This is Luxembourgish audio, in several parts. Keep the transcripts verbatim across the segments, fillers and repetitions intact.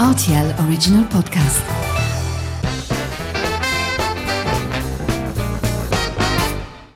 R T L Original Podcast.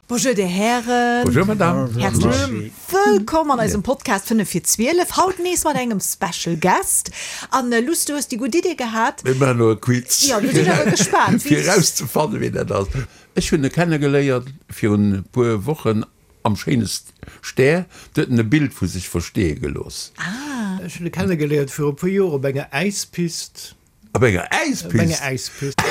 Bonjour dir Hären. Bonjour Madame. Häerzlech wëllkomm an eisem Podcast fënnef vir zwielef. Haut nees mat engem Special Guest. An Luss, du hues déi gutt Idee gehat. Mir maachen elo e Quiz. Jo, do sinn ech awer gespaant. Fir erauszefannen, wien dat ass. Ech hunn e kennegeléiert virun e puer Wochen am schéine Stär. Do huet en e Bild vu sech versteeë gelooss. Ah. Ech hunn e kennegeléiert viru e puer Joer op enger Äispist. Op enger Äispist? Op enger Äispist.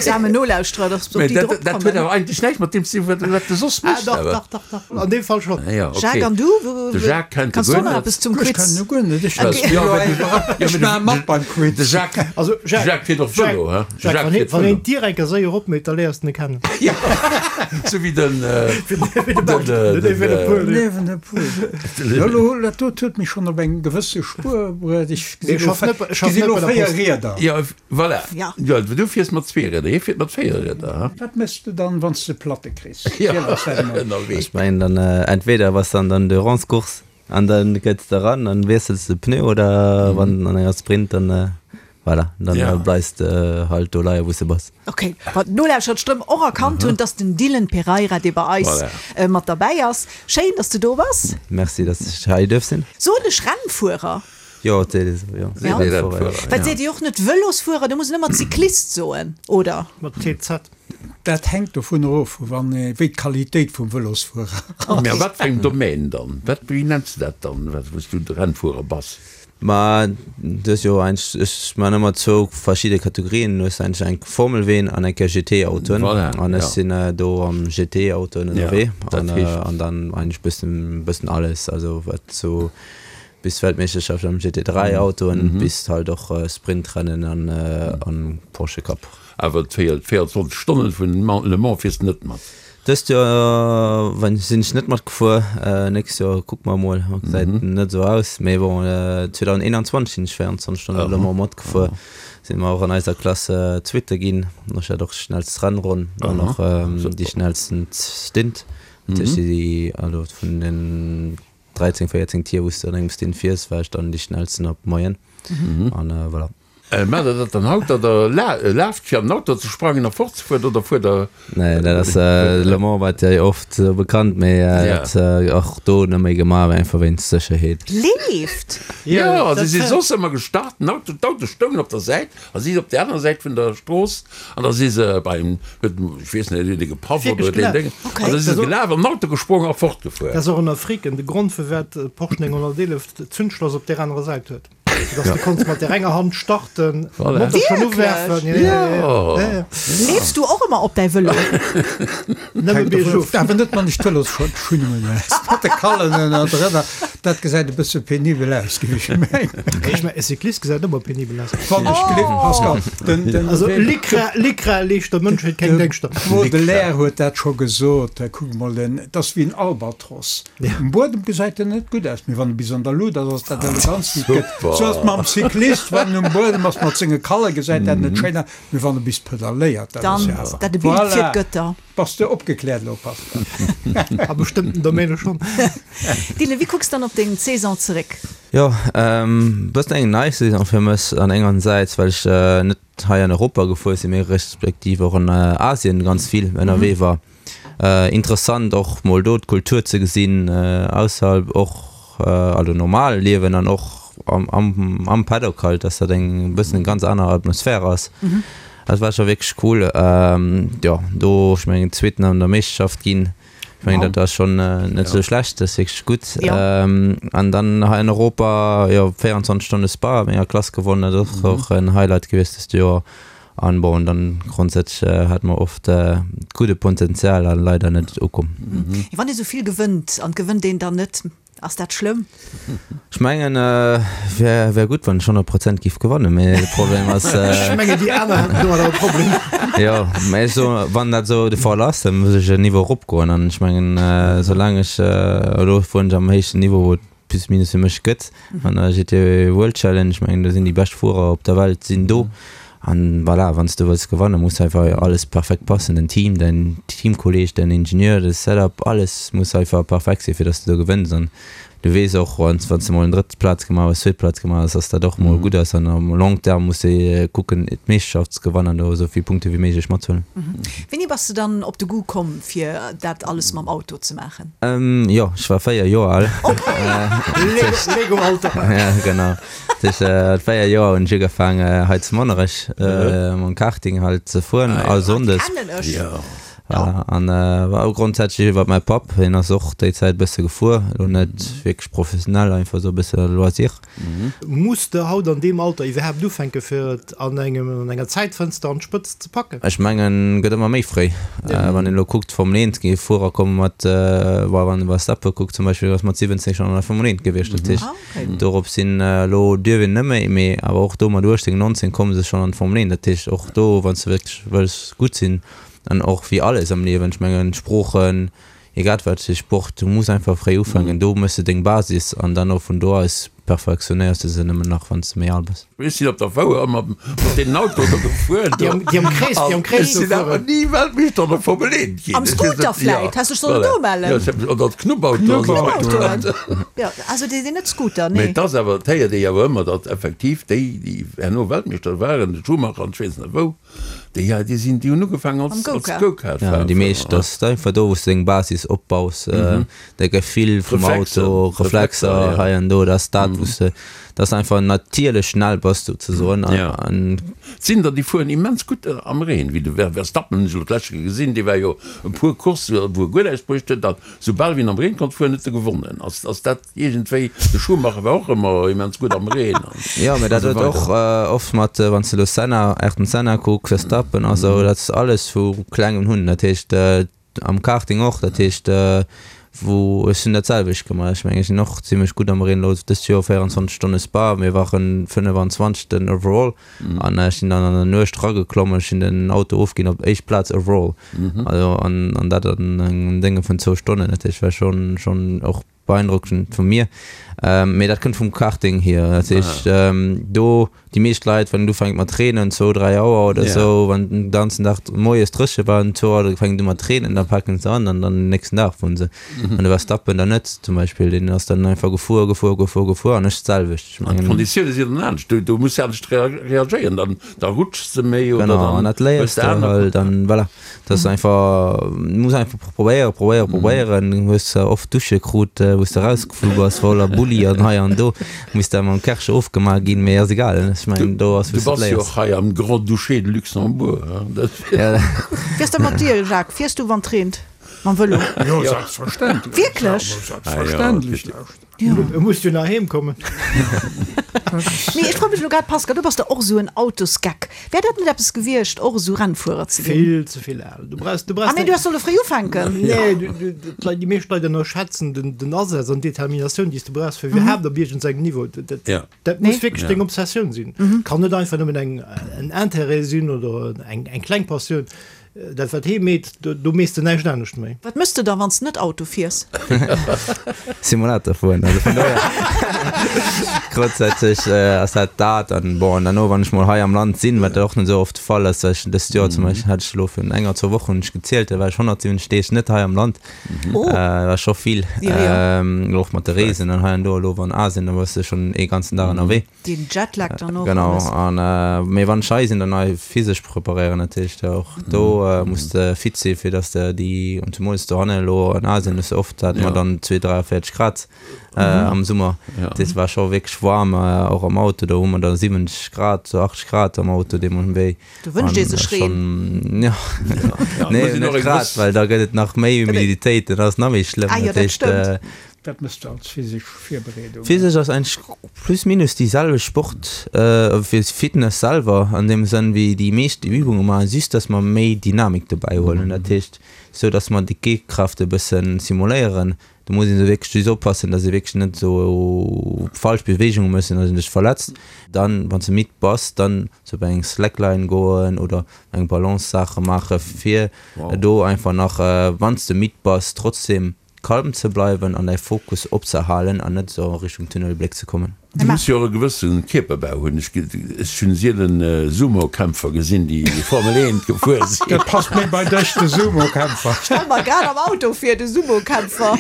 Samen Nolauschterer, dass op Mee déi dat, drop dat huet kommen. awer eigentlech näischt mat deem ze dinn, wat, wat de soss Ah, méchs. dach, Awer. dach, dach, dach. An deem Fall schonn. Ah ja, okay. Jacques, an du? Wo, De Jacques kennt e Kanns du guer nach net. eppes zum Ech Quiz? kennen e guer net. Ech Okay. Ja, well du, ja, Ech mee maache de, mat beim de Quiz. Jacques, Also, de Jacques, Jacques fiert och Jacques, Vëlo, hä? De Jacques, Jacques wann een, fiert wann een Vëlo. d'Dier eng Kéier séier opméit, da léiers de en kennen. Ja, sou wéi den, äh, Wéi de den, Bart, äh, den den, Evenepoel. äh, Den Evenepoel. Jo, lo, dat dot huet mech schonn op eng gewësse Spuer bruet. Ech Nee, gesi lo schaff net, ech schaff gesi net lo bei der véier Post. Rieder. Ja, voilà. Ja. Ja, du fiers mat zwee Rieder, hie fiert mat véier Rieder, ha? Wat méchs de dann, wann s de Platte kriss? Ja, Ziel eis dat emol. ënnerwee. Ech mengen dann entweder bass de an der Endurance-Course an dann kënns de eran an wiessels de Pneu oder wann an enger Sprint dann voilà, dann Ja. bleifs de halt do leie wou s de bass. Ok, wat d'Nolauschterer d'Stëmm och erkannt hunn, dass den Dylan Pereira, dee bei eis Voilà. mat derbäi ass. Schéin, dass du do bass. Merci, dass ech hei duerf sinn. Soen ech Rennfuerer? Jo, et seet ee sou, jo. Seet ee Rennfuerer, Well ja. seet Dir och net Vëlosfuerer, do muss een ëmmer Cyclist soen, oder? Mat T Z. Dat hänkt dovunner of, wann, wéi d'Qualitéit vum Vëlosfuerer ass. Mä a wat fir engem Domaine dann? Wat, wéi nenns de dat dann, wat, wou s du de Rennfuerer bass? Ma du hues jo eigentlech, ech man ëmmer zwou verschidde Kategorien, du hues eigentlech eng Formelween an eng G T-Autoen. Voilà, An ech ja. sinn do am G T-Autoen Ja, ënnerwee dat an, heescht? an dann eigentlech bëssen, bëssen alles, also wat sou bis Weltmeeschterschaft am G T dräi Autoen Mhm. bis halt och Sprintrennen an, an Porsche Cup. Awer d'véierundzwanzeg Stonnen vun Le Mans fiers de net mat? Dëst Joer wann sinn ech net matgefuer, nächst Joer kucke mer mol, gesäit Mhm. net esou aus, mee bon zweedausendeenanzwanzeg sinn ech véierundzwanzeg Stonnen Le Aha. Mans matgefuer, si mer och an eiser Klass Zweete ginn, ech hat och schnellst Rennronn an Aha. och déi Super. schnellsten Stint, dat heescht Mhm. déi also vun den dräizéng, véierzéng Tier wou s de an engem Stint fiers, war ech dann déi schnellsten op Moyenne Mhm. an voilà. Maacht der dat dann haut, datt der laaft fir an den Auto ze sprangen a fortzefueren, oder fuert der? Nee, dat ass Le Mans wat jo oft sou bekannt, mee dat och do net méi gemaach, einfach wéinst Sécherheet. Leeft? Jo, si si soss ëmmer gestart, den Auto, d'Auto stoungen op der Säit a si op der anerer Säit vun der Strooss an da si se beim, huet, ech weess net, huet ee gepaff oder huet een Déngen, an da si se gelaf, an den Auto gesprongen a fortgefuer. Dat ass och ënner Freaken de Grond, firwat Porsche nénghonnerteelef d'Zündschloss op där anerer Säit huet. Dass du konns mat der enger Hand starten, Voilà. Motor schon Wierklech? uwerfen. Ja, ja, ja. Ja. Ja, ja. Leefs du och ëmmer op däi Vëlo? Nëmme biergof. Awer net wann ech d'Vëlosschungen hunn. Mat de Kallen ënnerdrënner, dat gesäit e bësse penibel aus, géif ech mengen. Ech mengen, e Cyclist gesäit ëmmer penibel aus. Wann ech gelift, Pascal, den, den, Also Lycra, Lycra leescht der Mënschheet keng Déngschter. Baudelaire huet dat scho gesot, kuck mol, den, dat ass wéi en Albatros. Um Buedem gesäit en net gutt aus, mee wann e bis an der Luut ass, ass dat elegant wéi et gëtt. Super. Sou ass mam Cyclist, wann en um Buedem ass mat senge Kalle gesäit dat net schéin aus, mee wann e bis pedaléiert, dat ass Dann jo ass awer. dat e Bild fir Voilà. d'Gëtter. Bass de opgekläert elo, Pascal? A bestëmmten Domäne schonn. Dylan, wéi kucks dann op deng Saison zeréck? Jo, bëssen eng nice Saison fir mech an enger Säit, well ech net hei an Europa gefuer sinn, mee respektiv och an Asien ganz vill ënnerwee war. Interessant och mol do d'Kultur ze gesinn, ausserhalb och, also normal Liewen an och am, am, am Paddock halt, dass dat eng bëssen eng ganz aner Atmosphär ass. Dat war scho wierklech cool. Jo, do, ech mengen, Zweeten an der Meeschterschaft ginn. Ech mengen, dat ass schonn net esou schlecht, dat ass wierklech gutt. An dann hei an Europa, jo, véierundzwanzeg Stonne Spa a menger Klass gewonnen, dat ass och en Highlight gewiescht dëst Joer. An bon, dann grondsätzlech hat mer oft gudde Potenzial an leider net ukomm. Wann ee sou vill gewënnt an gewënnt een dann net, ass dat schlëmm? Ech mengen wär wär gutt wann ech honnert Prozent giff gewannen, mee de Problem ass. Ech mengen déi aner hätten domadder e Problem. Jo, mee ech soen, wann dat esou de Fall ass, da muss ech en Niveau eropgoen an ech mengen soulaang ech elo fueren ech am héichsten Niveau wou et plus minus fir mech gëtt an der G T World Challenge, ech mengen do sinn déi bescht Fuerer op der Welt sinn do. An voilà, wann s du wëlls gewannen, muss einfach alles perfekt passen, den Team, däin Teamkolleg, däin Ingenieur, de Setup, alles muss einfach perfekt sinn, fir dass du do gewënns. An Du weess och, wann s de mol eng drëtt Plaz gemaach hues, zweet Plaz gemaach hues, dass dat och mol gutt ass. An am long terme muss de kucken, d'Meeschterschaft ze gewannen an do esou vill Punkte wéi méiglech matzehuelen. Wéini bass de dann op de Goût komm, fir dat alles mam Auto ze maachen? Jo, ech war véier Joer al. Lego-Alter. Ja, genau. Dat heescht, mat véier Joer hunn ech ugefaangen, hei zu Monnerech mam Karting halt ze fueren, all Sonndes. Dat kennen ech. Voilà, an war och grondsätzlech iwwert mäi Papp, hien ass och déi Zäit e bësse gefuer, elo net wierklech professionell, einfach esou e bësse Loisir. Muss de haut an deem Alter iwwerhaapt ufänke fir et an engem an enger Zäitfënster an d'Spëtzt ze packen? Ech mengen, gëtt ëmmer méi fréi. Wann een elo kuckt, Formel eent, gi Fuerer komme mat, bon, wann ee Verstappen kuckt zum Beispill, ass mat siwwenzéng schonn an der Formel eent gewiescht. Dat heescht, dorop sinn elo dierf een net méi, mee awer och do mat uechtzéng, nonzéng komme se schonn an d'Formel eent. Dat heescht, och do, wann s de wierklech wëlls gutt sinn, An och wéi alles am Liewen, ech mengen Sproochen, egal wat fir Sport, du muss einfach fréi ufänken, do méchs de deng Basis an dann och vun do aus perfektionéiers de se nëmmen nach wann s de méi al bass. Ech sinn op der Fouer ëmmer mat deenen Autoen do gefuer do. Déi am Krees, déi am Krees do fueren. Ech sinn awer ni Weltmeeschter an der Formel eent ginn. Am Scooter vläit, häss dech sollen do mellen. Jo, ech hab, oder d'Knubbautoen. Knubbautoen, jo, also déi sinn net Scooter, nee. Mee et ass awer, et héiert ee jo awer ëmmer, datt effektiv déi, déi herno Weltmeeschter waren, de Schumacher an ech weess net wou, Déi, ja, déi sinn, déi hunn ugefaangen als, Am als Go-Kart. Go-Kart Ja, fahren. déi meescht, dat ass einfach do, wou s de deng Basis opbaus, de Gefill vum Reflexer, Auto, Reflexer, Reflexer ja. hei an do, dat ass dat, wou s de, dat s einfach natierlech schnell bass souzesoen. An, Ja. an Et sinn der, déi fueren immens gutt am Reen, wéi de Ver Verstappen hunn ech elo d'lescht Kéier gesinn, dee war jo e puer Coursse wou e guer näischt bruecht huet, an soubal wéi en am Reen konnt fueren, huet e gewonnen. Ass, ass dat Iergendwéi, de Schumacher war och ëmmer immens gutt am Reen an Jo, mä dat esou huet och weider. oft mat, wann s de elo Senna, Ayrton Senna kucks, Verstappen a sou, dat ass alles vu klengem hunn. Dat heescht am Karting och, dat heescht wou, ech hunn dat selwecht gemaach, ech mengen ech sinn och zimmlech gutt am Reen elo dëst Joer, véierundzwanzeg Stonne Spa, mir waren fënnefenzwanzegsten overall an ech sinn dann an der Nuecht erageklommen, ech hunn den Auto ofginn op éischt Plaz overall, also an an dat an engem Dénge vun zwou Stonnen, dat heescht war schonn schonn och Beeindruckend vu mir. Mee dat kënnt vum Karting hier. Dat heescht, do déi meescht Leit, wann et ufänkt mat reenen, zwou, dräi Auer oder esou, wann den ganzen Dag moies dréche war, um zwou Auer fänkt et u mat reenen, da paken se an an dann den nächsten Dag fueren se. An de Verstappen dann net zum Beispill, deen ass dann einfach gefuer, gefuer, gefuer, gefuer an ech d'selwecht. Ech An mengen. d'Konditioune sinn dann anescht, do do muss de anescht reagéieren, dann da rutschs de méi oder Genau, an dann dat hues léiers de de aner. halt an voilà. Dat ass einfach, du muss einfach probéieren, probéieren, probéieren. Du hues zwar oft Dusche krut, wou s de rausgeflu bass, voller Bulli an hei an do, muss da mam Kärcher ofgemaach ginn, mee ass egal, ech mengen do ass Du wou s de bass jo léiers. och hei am Grand-Duché de Luxembourg, hein, dat. Ja. Wéi ass dat mat dir, Jacques? Fiers du wann et reent mam Vëlo? Jo, selbstverständlech. Wierklech? Selbstverständlech, lauschter. E muss jo nach heem kommen. Mee ech froe mech elo grad, Pascal, du bass der och esou en Autosgeck. Wär dat net eppes gewiescht, och esou Rennfuerer ze ginn? Vill ze vill al. Du brauchs, du brauchs Ah nee, du häss solle fréi ufänken. Nee, du, du, d'Leit, déi meescht Leit ënnerschätzen den, den Asaz an d'Determinatioun, déi s du brauchs, fir iwwerhaapt op iergendsengem Niveau. Dat, dat, Ja. dat muss Nee. wierklech deng Obsessioun sinn. Kann net einfach nëmmen eng, en Intérêt sinn oder eng, eng kleng Passioun. Dat wat hee meet, do mees de näischt anescht méi. Wat mëss de da wann s de net Auto fiers? Simulator fueren, also vun dohier grundsätzlech ass dat dat. An bon, an derno wann ech mol hei am Land sinn, wat och net esou oft de Fall ass, well ech dëst Joer zum Beispill hat ech elo virun enger, zwou Wochen hunn ech gezielt, da war ech honnertsiwwenzeg Deeg net hei am Land. Oh. War scho vill, elo och mat de Reesen an hei an do. Elo an Asien, da bass de schonn ee ganzen Dag ënnerwee. Den Jetlag dann och. Genau, alles. an mee wann ech hei sinn, dann hei physesch preparéieren natierlech da och. Do muss de fit si fir dass de déi, an zemools dohanne elo an Asien hues de oft, hate mer dann zwee, dräiavéierzeg Grad am Summer. Dat war scho wierklech waarm, och am Auto, do hu mer da siwwenzeg Grad, achtzeg Grad am Auto deemno wéi. Do wënscht ee sech Reen. Jo, nee net grad, well da gëtt et nach méi Humiditéit, dat ass nach méi schlëmm. Ah jo, dat stëmmt. Wat mëss de als physesch Virbereedung? Physesch ass eigentlech plus minus déi selwecht Sport fir Fitness selwer an deem Sënn wéi déi meescht déi Übunge maachen, just dass mer méi Dynamik dobäi huelen. Dat heescht sou dass mer déi G-Kraft e bëssen simuléieren. Do muss een sou wierklech just oppassen, dass ee wierklech net sou falsch Beweegunge mécht, dass een sech verletzt. Dann wann s de midd bass, dann sou op eng Slackline goen oder eng Balance-Saache maache fir do einfach nach wann s de midd bass trotzdem kalm ze bleiwen an däi Fokus opzehalen an net esou a Richtung Tunnelbléck ze kommen. Du muss jo och e gewësse Kierperbau hunn. Ech ech hunn sielen Sumokämpfer gesinn, déi Formel eent gefuer sinn. Dat passt méi bei dech, de Sumokämpfer. Stell mer grad am Auto vir, de Sumokämpfer.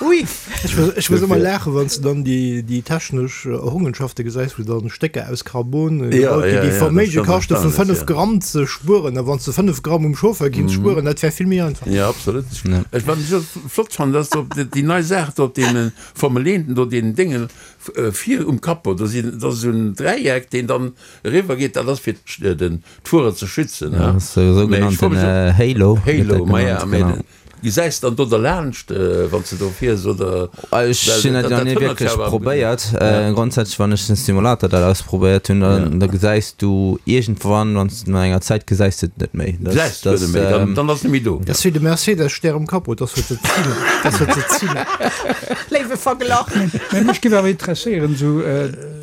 Ui. Ech muss ech muss ëmmer laachen, wann s de dann déi déi technesch Errungenschafte gesäis, wou dann Stécker aus Carbon gebaut ginn, déi Verméige kaschte vu fënnef Gramm ze spueren. A wann s de fënnef Gramm um Chauffeur ginns spueren, dat wär vill méi einfach. Jo, absolut. Ech wat ech och flott fannen, dat ass do déi nei Saach do op deene Formel eenten do, deenen Déngen, Vir um Capot, do sinn, dat ass esou en Dräieck, deen dann eriwwer geet, dat ass fir den d'Fuerer ze schützen, Ja, ne? ass de sougenannten Halo, gëtt Halo, dat ma ja, genannt, mee genau. gesäis dann do derlaanscht, wann s de do fiers, oder? Ech Well hunn dat dat nach ni hënnert jo wierklech awer. probéiert. Ja. Grondsätzlech, wann ech den Simulator dat ausprobéiert hunn, dann da gesäis du iergendwann, wann s no enger Zäit gesäis de et net méi. Dat Gesäis de et dat net méi, dann dann ass net méi do. Dat ass wéi de Mercedes-Stär um Capot, dat ass fir ze zilen, dat ass fir ze zilen. Léiwe Verglach. Mä mech géif awer interesséieren, esou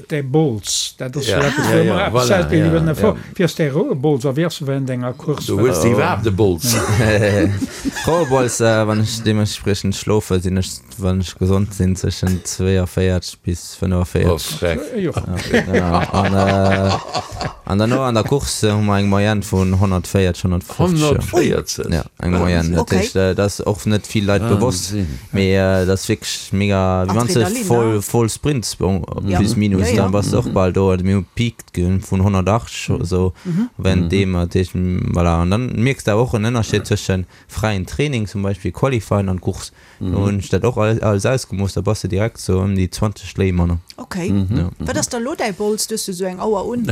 däi Bols, dat ass jo Ja, eppes, ja, wou ja, mer eppes voilà, selten ja, iwwer ja. erfuer. Wéi ass däi Rouebols a wéi ass e während enger Course? Du hues iwwerhaapt e Bols. Rouebols, wann ech deementspriechend schlofe, sinn ech, wann ech gesond sinn, zwëschen zweeënvéierzeg bis Oh, fënnefenvéierzeg. freck. Jo. Genau. An, an derno an der Course hu mer eng Moyenne vun honnertvéierzeg, honnertfofzeg. honnertvéierzeg? Ja, eng Moyenne. Dat Okay. heescht, dat ass och net vill Leit bewosst, Wahnsinn. mee dat ass wierklech mega, wéi wann s de Adrenalin, voll, ne? voll sprints, bon, Ja. plus minus, Ja, ja. dann bass de och bal do. Also mir hu Peak vun honnertachtzeg oder sou, währenddem, dat heescht, voilà. An dann mierks de awer och en Ënnerscheed zwëschen fräien Training, zum Beispill Qualifying, an Course. Do hunn ech dat och alles ausgemooss, da bass de direkt sou ëm déi zwanzeg Schléi manner. Okay. Wat ass da lo däi Bols? Du hues jo sou eng Auer un.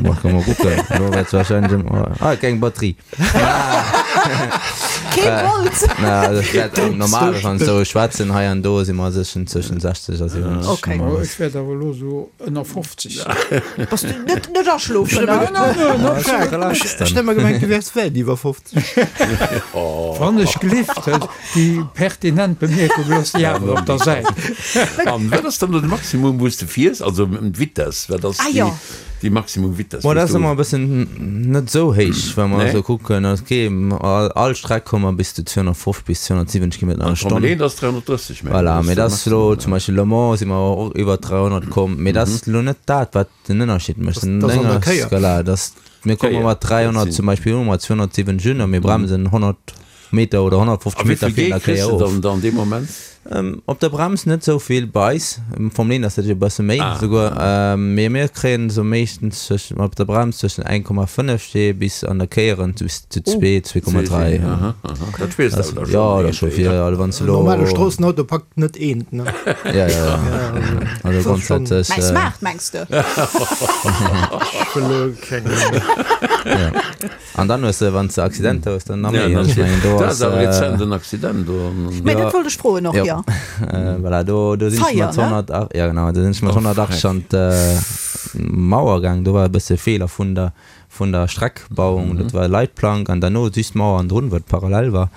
Boah, kann mol kucken. Lo wäert wahrscheinlech ëm, ah, keng Batterie. Kee Bols! Na, also ech wäert normal, wann ech sou schwätzen hei an do, si mer séchen zwëschen sechzeg a siwwenzeg. Okay. Oh, ech wäert awer elo sou ënner fofzeg sinn. Bass du net, net aschlofen, ne? Ech hu ëmmer gemengt, du wäers wäit iwwer fofzeg. Wann ech gelift, déi pertinent Bemierkung looss déi awer op der Säit. An wat ass dann do de Maximum, wou s de fiers? Also d'Vitess, wat ass Ah, déi, jo. déi Maximum Vitess, Boah, wou dat s ass du. ëmmer e bëssen net esou héich, wa mer Nee? esou kucken. Okay, all, all Streck komme mer bis zu zweehonnertfofzeg bis zweehonnertsiwwenzeg Kilometer an An der d'Formel Stonn. eent ass dräihonnertdrësseg, mengen Voilà, ech, mee ass de dat ass elo Maximum, zum Beispill Le Mans si mer och iwwer dräihonnert komm, mee dat ass elo net dat, wat den Ënnerscheed mécht. Das, Den das an Ding der ass, Kéier. voilà, das, mir komme Kéier, mat dat dräihonnert sinn. zum Beispill un, mat zweehonnertsiwwenzeg un a mir bremsen honnert Meter oder honnertfofzeg A wéi Meter vill virun der G kriss Kéier de of. dann dann dee Moment? Ähm, op der Brems net sou vill bei eis, am Formel eent ass dat jo e bësse méi Ah. souguer, ähm, mee mir kréien sou meeschtens zwëschen, op der Brems zwëschen een Komma fënnef G bis an der Kéieren bis zu zwee, zwee Komma dräi. Aha, aha. Dat spiers de awer da Ja, schonn dat scho iergendwéi, vill, ne? also wann s de En normale lo. Stroossenauto packt net eent, ne? Ja, ja, ja. Ja, also, Also das ist schon. grundsätzlech, Mäi äh, Smart, mengs de? Ech wëll elo keng. Ja. An dann hues de, wann s de Accidenter hues, dann nach Ja, méi. dann Ech mengen, do dat ass, ass awer äh, rezent en Accident do. Mä Ja. dat wollt ech froen och, Ja. jo. Äh, voilà, do, do sinn ech Feier, mat ne? honnertacht, ja genau, do sinn ech mat Oh, honnertachtzeg freck. an d'Mauer gaang. Do war e bësse Feeler vun der, vun der Streckbauung. Dat war Leitplank an derno just d'Mauer an drun, wat parallel war.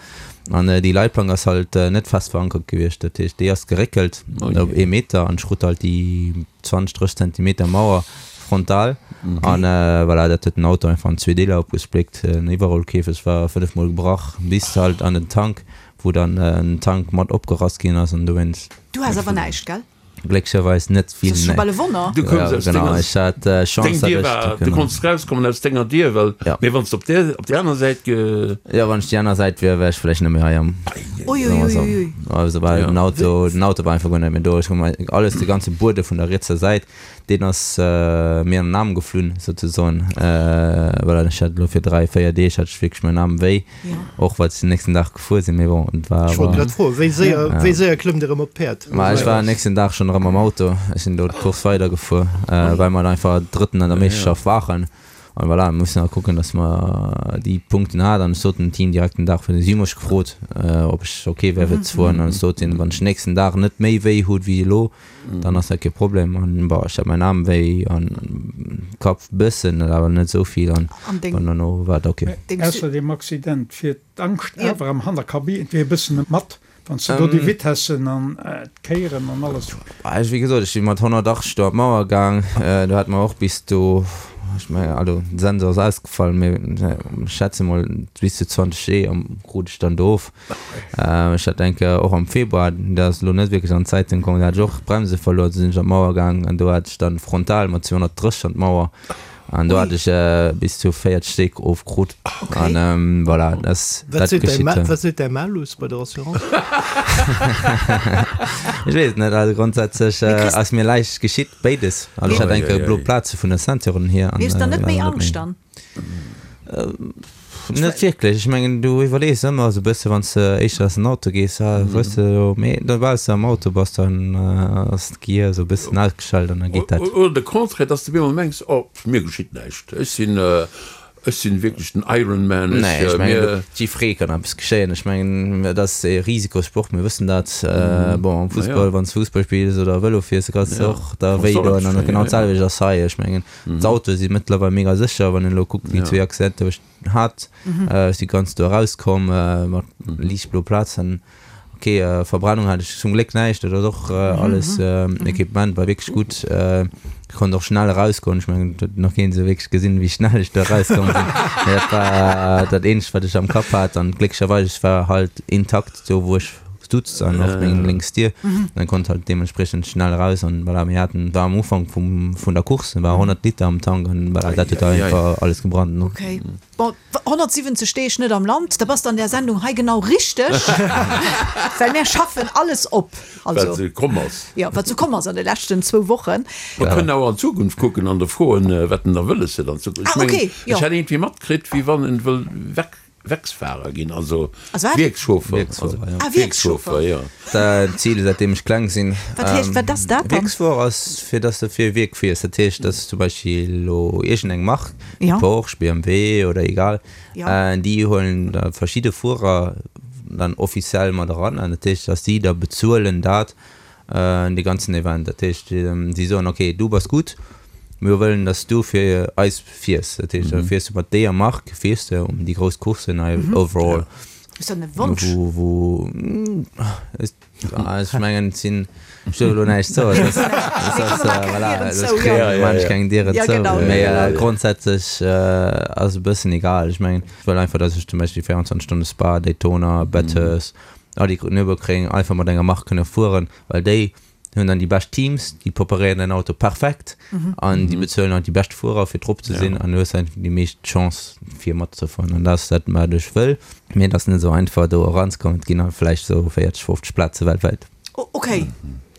An déi Leitplank ass halt net fest verankert gewiescht. Dat heescht, déi ass geréckelt Oh op je. ee Meter an ech krut halt déi zwanzeg, drësseg Zentimeter Mauer frontal. An voilà, dat huet den Auto einfach an zwee Deeler opgespléckt. Den Iwwerrollkäfeg war fënnef Mol gebrach, bis halt an den Tank, wou dann den Tank mat opgerass ginn ass an dowéinst. Du has awer näischt, gell? Glécklecherweis net vill, Dat ass scho nee. bal e Wonner. Du koums Ja, aus genau, denger ech hat äh, Chance, Deng dat Dier ech war, du genau. konns rauskommen aus denger Dier, well, Ja. mee wann s du op där, op déi aner Säit ge. Ja, wann ech déi aner Säit wier, wär ech vläicht net méi hei am. Ui, Soe ui, mer ui, sou. ui. Also well Ja. den Auto, den Auto war einfach guer net méi do. Ech hu mei alles, de ganze Buede vun der rietser Säit, deen ass äh, mir an den Aarm geflunn, souzesoen. Äh, voilà, ech hat elo fir dräi, véier Deeg hat ech wierklech mäin Aarm wéi, Ja. och well ech den nächsten Dag gefuer sinn, mee bon, et war Ech wollt awer. grad froen, wéi séier, Ja. wéi séier klëmmt Dir erëm op d'Päerd? Ma ech war den nächsten Dag schonn erëm am Auto. Ech sinn do d'Course weidergefuer, äh, well mer einfach Drëtten an der Meeschterschaft waren. An voilà, mir mussen awer kucken, dass mer déi Punkten hat. An ech sot dem Team direkt den Dag virun, si hu mech gefrot, äh, ob ech okay wär fir ze fueren. An ech sot hinnen, wann ech den nächsten Dag net méi wéi hutt wéi elo, dann ass dat kee Problem. An bon, ech hat mäin Aarm wéi an Kapp bëssen, awer net esou vill. An An deng bon, dono war et okay. deng Ausser deem Accident fiert d'Angscht Ja. awer am Hannerkabine iergendwéi e bëssen mat. Wann s de do déi Vitessen an d'Kéieren an alles. Ech, wéi gesot, ech si mat honnertachtzeg do an d'Mauer gaang. Do hat mer och bis do, ech mengen, also den Sensor ass ausgefall, mee ech schätze mol bis zu zwanzeg G krut ech dann do of. Ech hat eng Kéier och am Februar, dat ass elo net wierklech an d'Zeitung komm, do hat ech och d'Bremse verluer, do sinn ech an d'Mauer gaang an do hat ech dann frontal mat zweehonnertdrësseg an d'Mauer an do hat ech bis zu véierzeg Stéck ofkrut an voilà, dat dat geschitt. Wat seet däi Malus bei der Assurance? Ech weess et net, also grondsätzlech ass mir näischt geschitt. Béides. Also ech hat eng Kéier blo Plaze vun der Ceinturen hier. Mee hues dann net méi Angscht dann? Net wierklech. Ech mengen du iwwerlees ëmmer esou e bësse wann s de éischter aus dem Auto gees, ah weess de jo, mee soubal s de am Auto bass, dann ass d'Gehier esou e bëssen ausgeschalt an da geet dat. Oder de Contraire, dass s de op eemol mengs, oh mir geschitt näischt, ech sinn Ech sinn wierklech den Iron Man. Ech, Nee, ech mengen, mir. jiddweree kann eppes geschéien. Ech mengen, et ass e Risikosport, mir wëssen dat. Bon, am Naja. Fussball, wann s de Fussball spills oder Vëlo fiers, da kanns de Ja, och der kanns wéi de och doen. eppes An geschéien, genau ja, ja. d'selwecht ass hei. Ech mengen, d'Autoe si mëttlerweil mega sécher. Wann een elo kuckt, déi Ja. zwee Accidenter, wou ech hat, ech si ganz do erauskomm mat liicht blo Plazen. Ok, Verbrennung hat ech zum Gléck näischt, dat ass och alles, Equipement war wierklech gutt, ech konnt och schnell erausgoen, ech mengen et huet nach keen esou wierklech gesinn wéi schnell ech do erauskomm sinn, mee dat war dat eenzegt wat ech am Kapp hat an glécklecherweis ech war halt intakt do wou ech stutz an och meng lénks Dier, an konnt halt deementspriechend schnell eraus an voilà, mir haten, war am Ufank vum vun der Course, war honnert Liter am Tank an voilà, dat huet einfach alles gebrannt. Ok. Bon, honnertsiwwenzeg Deeg net am Land, da bass de an där Sendung hei genau richteg, well mär schaffen alles op. Wat Also, sou komm ass. jo, wat sou komm ass an de leschten zwou Wochen. Mer kënnen awer an d'Zukunft kucken an der froen, wat en da wëlles huet an Zukunft. Ech Ah, mengen, okay, jo. ech hätt iergendwéi matkritt, wéi wann en wëll Werk. Werksfahrer ginn, also Also wat? Wierkschauffer. Wierksfuerer, ja. Ah, Wierkschauffer. Wierkschauffer, ja. Dat ass Zil, säitdeem ech kleng sinn. Wat heescht, wat ass dat dann? Wierksfuerer ass, fir dass de fir e Wierk fiers. Dat heescht, dass zum Beispill elo iergendeng Mark, Ja. Porsche, B M W oder egal, Ja. déi huelen da verschidde Fuerer dann offiziell mat eran. An dat heescht, dass déi da bezuelen dat, dee ganzen Event. Dat heescht, si soen, okay, du bass gutt, mir wëllen, dass du fir eis fiers. Dat heescht, da fiers du mat deeër Mark, fiers de um déi grouss Courssen hei overall. Ist dat e Wonsch? Wou, wou, ech mengen, et sinn, ech duerf elo näischt soen, dat ass, voilà, ech kréien maan ech keng Dieren zou. Mee grondsätzlech ass e bëssen egal. Ech mengen, ech wëll einfach, dass ech zum Beispill véierundzwanzeg Stonne Spa, Daytona, Bathurst, all déi Nürburgring einfach mat enger Mark kënne fueren, well déi hunn dann déi bescht Teams, déi preparéieren den Auto perfekt an déi bezuelen och déi bescht Fuerer fir drop ze sinn an du hues einfach déi meescht Chance fir matzefueren an dat ass dat wat ech wëll. Mee et ass net esou einfach do eranzekommen, et ginn halt vläicht esou véierzeg, fofzeg Plaze weltwäit. Ok,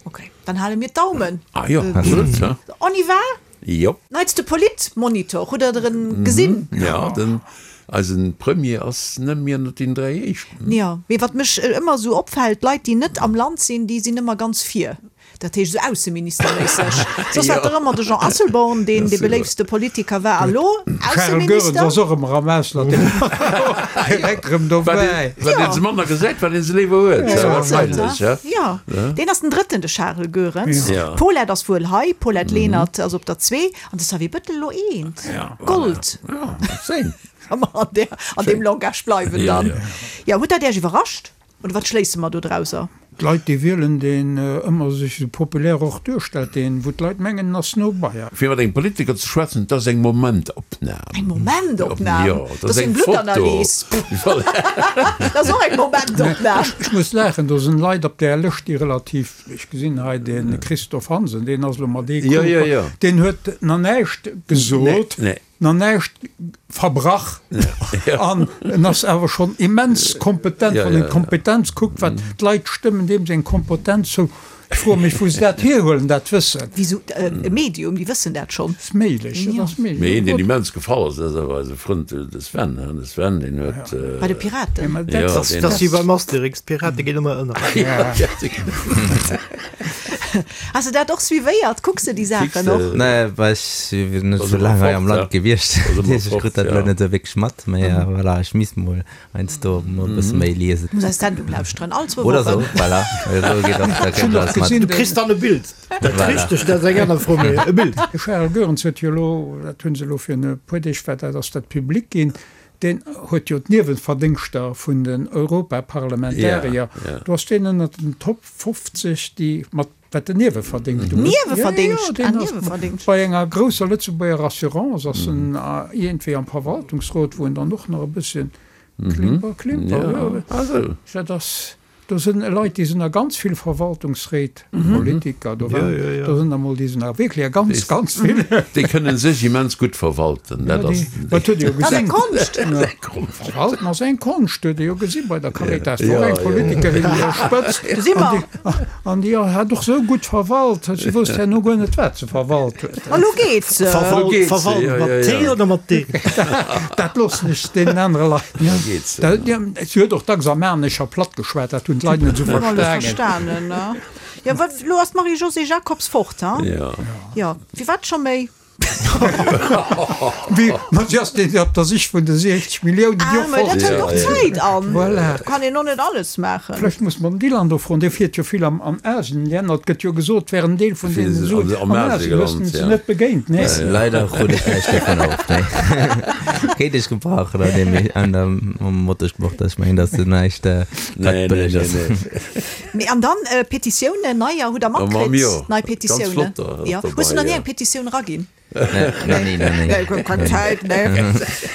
ok, dann hale mir d'Daumen. Ah jo, absolut, ja. On y va? Jo. Neitste Politmonitor, hutt der der en gesinn? Ja, den eisen Premier ass net méi ënnert den dräi éischten. Jo, mee wat mech ëmmer esou opfält, Leit déi net am Land sinn, déi sinn ëmmer ganz vir. Dat heescht esou ausseministerméisseg. Soss war et dach ëmmer de Jean Asselborn, deen dee beléiftste Politiker war. A lo Charel Goerens Ausseminister? ass och ëmmer am Ausland, deen ass direkt erëm dobäi. Wat een se manner gesäit, wat een se léiwer huet. Esou ass et, Wahrscheinlech, ha? ja. Jo, deen ass den drëtten, de Charel Goerens. Ja. D'Paulette ass wuel hei, Paulette Lenert ass op der zwee an de Xavier Bettel elo eent. Gold. Ja, schéin. Wa mer an där, an deem Langage bleiwen Ja, dann. ja. Jo, huet dat Iech iwwerrascht oder wat schléisse mer do drauser? D'Leit, déi wielen, deen ëmmer sech esou populär och duerstellt, deen, wou d'Leit mengen, en ass no bei. Fir mat engem Politiker ze schwätzen, dat ass eng Momentopnam. Eng Momentopnam? Jo, Dat ass eng Bluttanalys. Dat ass och eng Momentopnam. Ech muss laachen, do sinn Leit op där Lëscht, déi relativ, ech gesinn hei de Christophe Hansen, deen ass elo mat ee Couple, deen huet nach näischt gesot. Nach näischt verbrach an en ass awer schonn immens kompetent, wann een d'Kompetenz kuckt, wat d'Leit stëmmen deem seng Kompetenz zou. Ech froe mech, wou se dat hierhuelen, dat Wëssen. Wéi sou e Medium, déi wëssen dat schonn. Ass méiglech, dat ass méiglech. Mee een, deen immens gefall ass, dat ass awer eise Frënd, de Sven, hein, de Sven, deen huet. Bei de Piraten. Jo, Dat ass wéi beim Asterix, d'Pirate ginn ëmmer ënner. Has de dat och suivéiert? Kucks de déi Saachen och? Nee, well ech sinn net sou laang hei am Land gewiescht. Dat heescht, ech krut dat elo net sou wierklech mat. Mee voilà, ech misst mol heiansdo mol e bësse méi liesen. Muss eis Sendung lauschteren, all zwou Wochen. Oder sou, voilà. Esou geet och, da kennt alles mat. Du kriss dann e Bild. Dat Richtegt, dat ass eng aner Fro, mee e Bild. De Charel Goerens huet jo elo, dat hu se elo virun e puer Deeg war dat, ass dat public ginn, deen huet jo d'Nieweverdéngschter vun den Europaparlamentarier, do ass deen ënnert den Top fofzeg, déi mat Wat den Nieweverdéngscht ugeet. Nieweverdéngscht? Ah, Nieweverdéngscht. Bei enger grousser Lëtzebuerger Assurance ass en iergendwéi am Verwaltungsrot, wou en dann och nach e bësschen Klimper, Klimper, jo. Dat ass, do sinn Leit, déi sinn a ganz vill Verwaltungsréit, Politiker, do waren, do sinn der mol, déi sinn a wierklech a ganz, ganz vill. Déi kënnen sech immens gutt verwalten, dat ass. Dat huet ee jo gesinn. Dat ass eng Konscht. Verwalten ass eng Konscht, huet ee jo gesi bei der Caritas, wor eng Politikerin un der Spëtzt. Do si mer. An déi hat och sou gutt verwalt, si wousst herno guer net, wat se verwalt huet. A lo geet se. Verwalt mat T oder mat D? Dat loossen ech deenen anere Leit. Si huet och dacks Armanescher platt geschwat, dat hunn d'Leit net esou verstanen. Jo, wat, lo ass d'Marie-Josée Jacobs fort, ha? Jo, firwat scho méi? Wéi, ma si ass déi op der Sich vun de siechzeg Milliounen, déi Ah, och mä dat fort hëlt och Zäit an. Voilà. Do kann een och net alles maachen. Vläicht muss mer den Dylan do froen, dee fiert jo vill am, an Asien-Länner. Et gëtt jo gesot, et wär en Deel vun deene Suen Am an Asien Asien. Hues gelant, de se ja. net begéint? Nee. Leider krut ech näischt dovun of, nee. Kéint ech gebrauchen an deem, an dem Motorsport, ech mengen, dass du näischt, wat Nee, nee, bëlleg nee, ass. nee. Mee an dann Petitiounen, neier, hutt der Mam matkritt? jo, Nei ganz Petitiounen? flott da Jo. ass Hues du dobei, nach ni jo. eng Petitioun eraginn? Nee, nach ni, nach ni. Nee, keng Zäit, nee.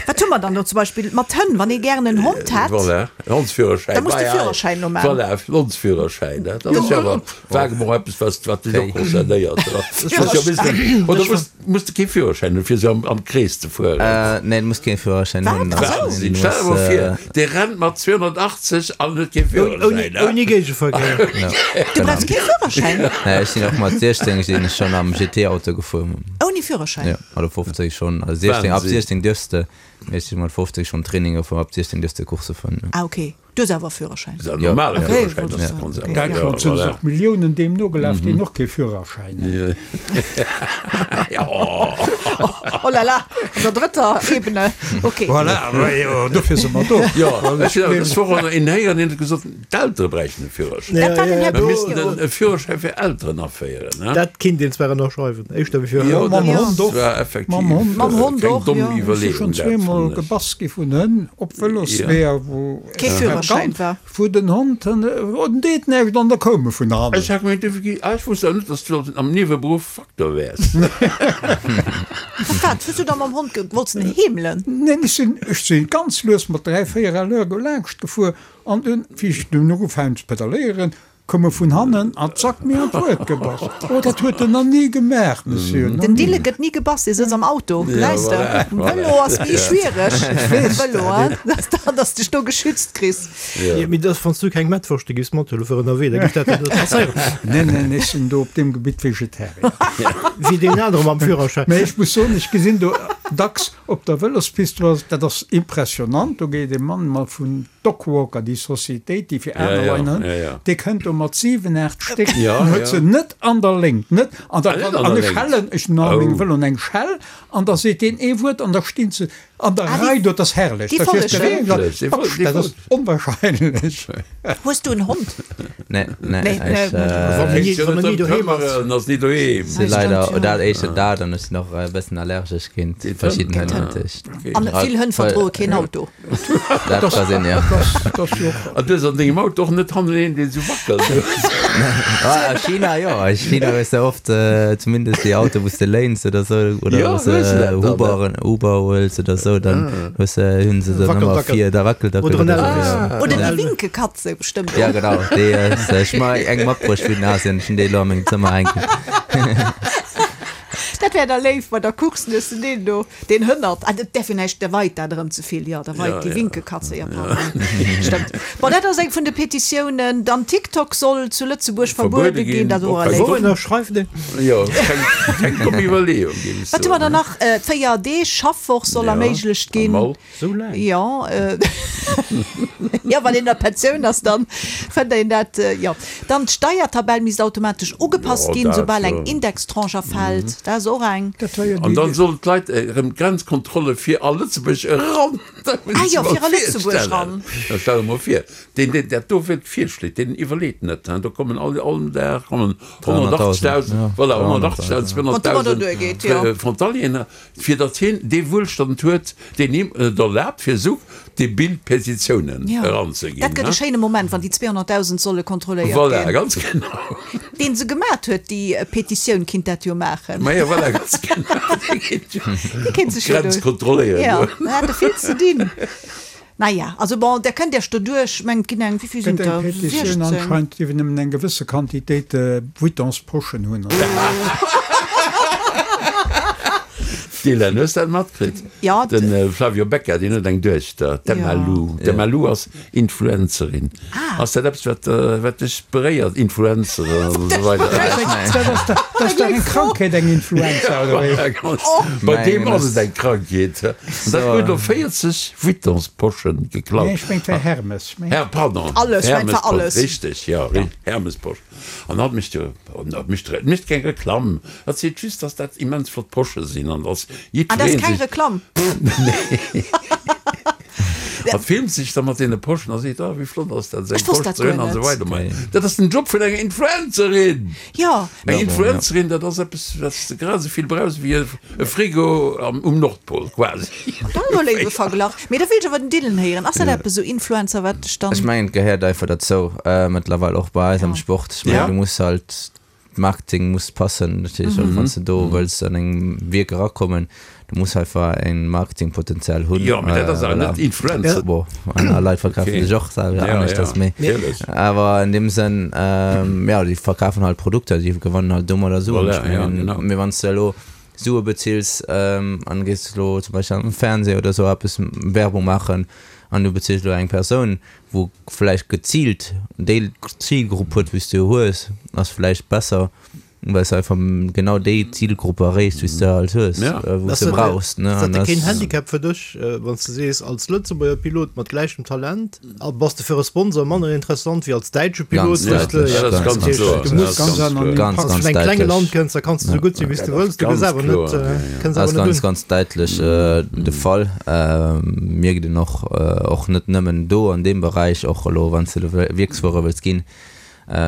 Wat hu mer dann do zum Beispill mat Hënn, wann ee gären en Hond hätt? Voilà, en Hondsführerschäin. Da muss de Wei, ei. Führerschäin no maachen. Voilà, Hondsführerschäin, dat ass jo awer vaguement eppes, wat, wat dech och concernéiert. Das ass jo e bëssen, oder muss, muss de kee Führerschäin hunn, fir esou am, am Krees ze fueren? Äh, nee, du muss kee Führerschäin Wat? hunn. Ach sou. Wahnsinn, stell der mol vir, dee rennt mat zweehunnertachtzeg an huet kee Ouni, Führerschäin, ne? ouni Géigeverkéier. Du brauchs kee Führerschäin? Nee, ech sinn och mat siechzéng sinn ech schonn am G T-Auto gefuer. Ouni Führerschäin? Ja, oder fofzéng schonn. Also siechzéng, ab Wahnsinn. siechzéng dierfs de. Mee ech sinn mat fofzéng schonn Training gefuer, ab siechzéng dierfs de Coursse fueren. Ah, okay. Du hues awer e Führerschäin? Dat ass en normale Okay, Führerschäin, wollt dat ech ass soen. ganz Okay. einfach. An Däitschland sinn se och Milliounen deem nogelaf, deen och kee Führerschäin hat. Oh là là, an der drëtter Ebene. Okay. Voilà, jo, dofir si mer do. Jo, ech hunn awer dës Woch och nach een héieren, deen huet gesot, d'Eltere bräichten e Führerschäin. Dat war den Här Mir missten Billio. en e Führerschäin fir Elteren aféieren, ne? Dat kinnt een zwar ënnerschreiwen, éischter wéi fir Jo, Hënn. Mam dat Hond och. war effektiv Mam Hond Mam Hond keng och, domm jo. Ech si Iwwerleeung, schonn dat zweemol fannen ech. gebass gi vun Hënn op Vëlosweeër, wou Kee Führerschäin war. Wou den Hond, oh, den deet näischt an da koum e vun hannen. Ech hat gemengt, du gi, ah, ech wosst awer net, dass du am Nieweberuff Facteur wäers. Wat, wat hues du da mam Hond ge, wollts en heemelen? Neen, ech sinn, ech sinn ganz lues mat dräi, véier à l'heure do laanscht gefuer an dunn, wéi ech dunn ugefaangen ze pedaléieren, koum e vun hannen an zack mir an d'Rued gebass. Oh, dat huet en nach ni gemaach, Monsieur, nach Den ni. Dille gëtt ni gebass, dee sëtzt am Auto, gesäis de. voilà, Um voilà. Vëlo ass méi schwiereg, um Vëlo, hein, dass da, dass dech do geschützt kriss. Ja, mee dass, wann s du keng Mettwurschte giffs mathuelen fir ënnerwee, da giff dat der net passéieren. Nee, nee, nee, ech sinn do op deem Gebitt Vegetarier. Wéi deen anere mam Führerschäin. Mee ech muss soen, ech gesinn do dacks op der Vëlospist, do ass, dat ass impressionant, do geet e Mann mat vun Dogwalker, déi Societéit, déi fir aner Leit, ne, dee kënnt do mat siwen, aacht Stéck, an huet se net an der Léngt, net an der, an ech schellen, ech hunn an mengem Vëlo eng Schell, an da seet deen ee Wuert an da stinn se an der Rei do, dat ass herrlech, da fiers de réi, dat ass onwahrscheinlech. Hues du en Hond? Nee, nee, ech, Wann en ni doheem ass. En ass ni doheem. Si leider, dat éischter dat, an ech sinn och e bëssen allergesch géint verschidden Hënn, dat heescht. An vill Hënn verdroe keen Auto. Dat ka sinn, jo. An du hues an dengem Auto och net hannen een, deen esou wackelt? Ah, a China, jo. A China hues de oft zumindest déi Autoe, wou s de léins oder sou, oder Jo, wou s de hues de dat dann? Uberen, Uber huels oder sou, dann hues de, hunn se dann ëmmer Wackeldackel. vir, da Wackeldackel Oder en oder sou, Elvis. jo. Oder déi Winkekatze bestëmmt Ja, och. genau, déi ass, ech hu mer eng matbruecht vun Asien, ech hunn déi elo a mengem Zëmmer hänken. Dat wär da léif bei der Course, hues de deen do, deen hënnert. Ah, dat däerf jo näischt, da weit dat erëm ze vill. Jo, da weit déi Winkekatze, jo, pardon. Stëmmt. Bon, dat ass eng vun de Petitiounen. Dann TikTok soll zu Lëtzebuerg verbuede Verbuede ginn, ginn, dat och och erléif. Wou ënnerschreift een? Jo, keng, keng domm Iwwerleeung, géif ech Wat hu mer soen. dann nach? D'Véier Deeg Schaffwoch soll Ja, erméiglecht ginn. normal. Sou laang? Jo, jo, wann een an der Pensioun ass, dann fënnt een dat, jo. Dann d'Steiertabell misst automatesch ugepasst Jo, ginn, dat, soubal eng jo. Indextranche erfält. Dat ass och eng. Dat war jo An déi. dann sollen d'Leit erëm d'Grenzkontrolle fir a Lëtzebuerg eran. Dat muss Ah ech jo, mer fir a Lëtzebuerg virstellen. eran. Da stell der mol vir, deen, deen dat do fir virschléit, deen iwwerleet net, hein. Do kommen all, all Dag kommen dreihunnerttausend, honnertachtzegtausend, ja, voilà, dreihunnerttausend, honnertachtzegtausend, Wann d'Nummer do zweihunnerttausend duergeet, jo. Frontalieren, fir datt hien dee Wuelstand huet, deen him et erlaabt, fir esou debil Petitiounen Ja. eranzeginn, Dat gëtt e hein. schéine Moment, wann déi zweehonnerttausend solle kontrolléiert Voilà, ginn. ganz genau. Deen se gemat huet, déi Petitioun, kinnt dat jo maachen. Ma jo, voilà, ganz genau. Dee kinnt jo Dee kinnt sech jo d'Grenz do. kontrolléieren Jo, goen. en hätt e vill ze dinn. Naja, also bon, där kënnt Iech doduerch, ech mengen, et ginn eng, wéi vill sinn Gëtt eng der? Petitioun siechzéng? anscheinend, déi nëmmen eng gewësse Quantitéit Vuittonsposchen hunn. Dylan, hues dat matkritt? Ja. Den Flavio Becca, deen huet eng Duechter, d'Emma Lou. D'Emma Lou ass Influencerin. Ass dat eppes, wat, wat dech beréiert, Influenceren an esou weider? Dat ass dach, dat ass dach eng Krankheet, eng Influenza, oder wéi? Bei deem ass et eng Krankheet. An dat huet elo véierzeg Vuittonsposchen geklaut. Nee, ech mengt war Hermes. Ech mengt. Her, pardon, Alles, ech mengt war alles. Richteg, jo, Hermesposch. An hatt mécht jo, hatt mécht, mécht keng Reklamm, hatt seet just, dass dat immens flott Posche sinn an dass Ah, dat ass jiddweree keng sech. Reklamm? Nee. Hatt filmt sech da mat deene Poschen a seet, oh, wéi flott ass dat, esou Ech eng wosst Posch dat ze hunn guer an esou net. weider. Mä dat ass den Job vun enger Influencerin! Jo. Eng Influencerin, dat ass eppes, wat s de grad esou vill brauchs wéi e Frigo am, um Nordpol, quasi. Dat ass e léiwe Verglach. Mee da wéilt ech awer den Dylan héieren. Ass dat eppes esou Influencer, wat dech dann. Ech mengen, et gehéiert einfach derzou, mëttlerweil och bei eis am Sport. Ech mengen, Ja. du muss halt, Marketing muss passen natierlech, och wann s de do wëlls an eng Wierk erakommen, du muss einfach en Marketingpotenzial hunn. Jo, mee dat ass awer Voilà. net Influencer. Bon, aner Leit verkafen Okay. sech och selwer Ja, aneschters, ja, mee natierlech. awer an deem Sënn, ähm, ja, déi verkafen halt Produkter, déi gewannen halt domadder Suen. Voilà, Ech ja, mengen, genau. mee wann s de elo Sue bezills ähm, an gees elo zum Beispill am Fernseh oder sou eppes Werbung maachen an du bezills elo eng Persoun, wou vläicht geziilt déi Zilgrupp huet, wéi s du hues, ass vläicht besser, well s de einfach genau déi Zilgrupp erreechs, wéi s de halt hues, Ja. wou s Ass de dat, brauchs, ne? ass dat An da keen das Handicap fir dech, wann s de sees, als Lëtzebuerger Pilot mat gläichem Talent bass de fir e Sponsor manner interessant wéi als däitsche Pilot, Ganz wou s de, däitlech, Ja, dat ass ganz, ganz ganz kloer. du Dat muss ass Ganz ganz anonym. kloer. Ganz, Wann s ganz du vun engem klenge däitlech. Land kënns, da kanns de sou gutt sinn, wéi s Dat de ass wëlls, du gëss ganz awer net, kloer, ja, ja. kënns Dat awer ass net ganz, un. ganz däitlech de Fall. Mierkt een och, och net nëmmen do an deem Beräich, och elo wann s de Wierksfuerer wëlls ginn,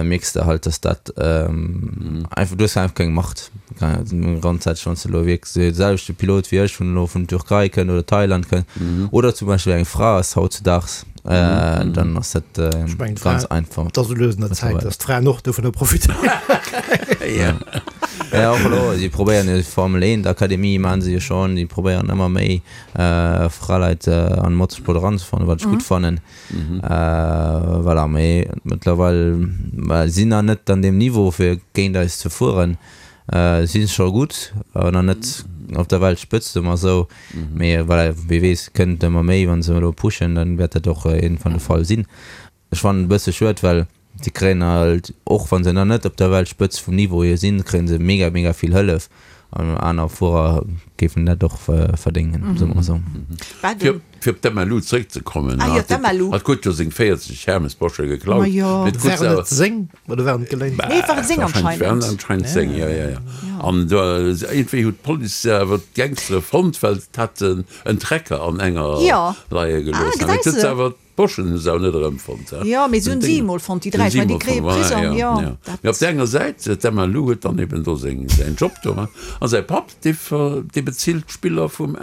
mierks de halt, dass dat einfach, du hues einfach keng Macht. Grondsätzlech, wann s de elo wierklech de selwechte Pilot wéi ech vun elo vun Türkei kënnt oder Thailand kënnt oder zum Beispill eng Fra ass hautzudaags, dann ass dat Ech mengen, ganz d'Fra, einfach et ass elo lues un der Zäit, mëttlerweil. dass d'Fraen och dovunner profitéieren. Ja, och elo, si probéieren jo Formel eent Akademie maachen se jo schonn, déi probéieren ëmmer méi Fraleit an de Motorsport eranzefannen, wat ech gutt fannen. Voilà, mee mëttlerweil sinn nach net an deem Niveau fir géint eis ze fueren. Si sinn scho gutt, awer nach net op der Weltspëtzt, soe mer esou. Mee voilà, wie weess, kënnt ëmmer méi, wa se elo pushen, dann wäert dat och iergendwann de Fall sinn. Ech fannen et e bësse schued, well si kréien halt, och wa se nach net op der Weltspëtzt vum Niveau hier sinn, kréie se mega, mega vill Hëllef an aner Fuerer géifen dat och verdéngen, soe mer esou. Fir fir op d'Emma Lou zréckzekommen, Ah jo, d'Emma Lou. Hatt huet jo seng véierzeg Hermes-Posche geklaut. Ma jo. Mee et krut se Waren awer. et seng oder waren et geléint? Nee, et waren seng Wahrscheinlech waren anscheinend. anscheinend seng, jo, jo, jo. An do, iergendwéi huet d'Police awer d'Gangstere fonnt, well et hat en Trecker an enger Jo. leie Ah, gelooss. Mee gesäis et huet se de. awer D'Poschen hu se awer net erëmfonnt. Jo, mee se hunn si emol fonnt, déi dräi. Ech mengen, déi kréie Prisong, jo. Dat. Mee op där enger Säit, d'Emma Lou huet dann eben do seng, säin Job do, a säi Papp, dee ver, dee bezilt d'Spiller vum,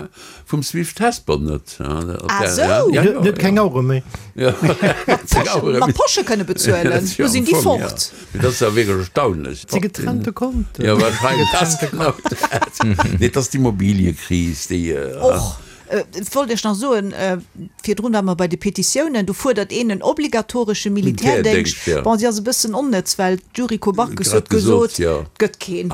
vum Swift Hesper net. Ah, sou! Ja, Huet huet keng Auere méi. Ja, Mat Poschen, mat Posche kënne bezuelen, do sinn déi fort. Mee dat ass awer wierklech erstaunlech. Si getrennte Konten. Jo, wahrscheinlech ass genau dat. Nee, et ass d'Immobiliekris, déi. Och. Et wollt ech nach soen, virdrun ware mer bei de Petitiounen, do fuerdert een en obligatoresche Militärdéngscht. Bon, si ass e bëssen onnëtz, well d'Yuriko Backes huet gesot, et gëtt keen,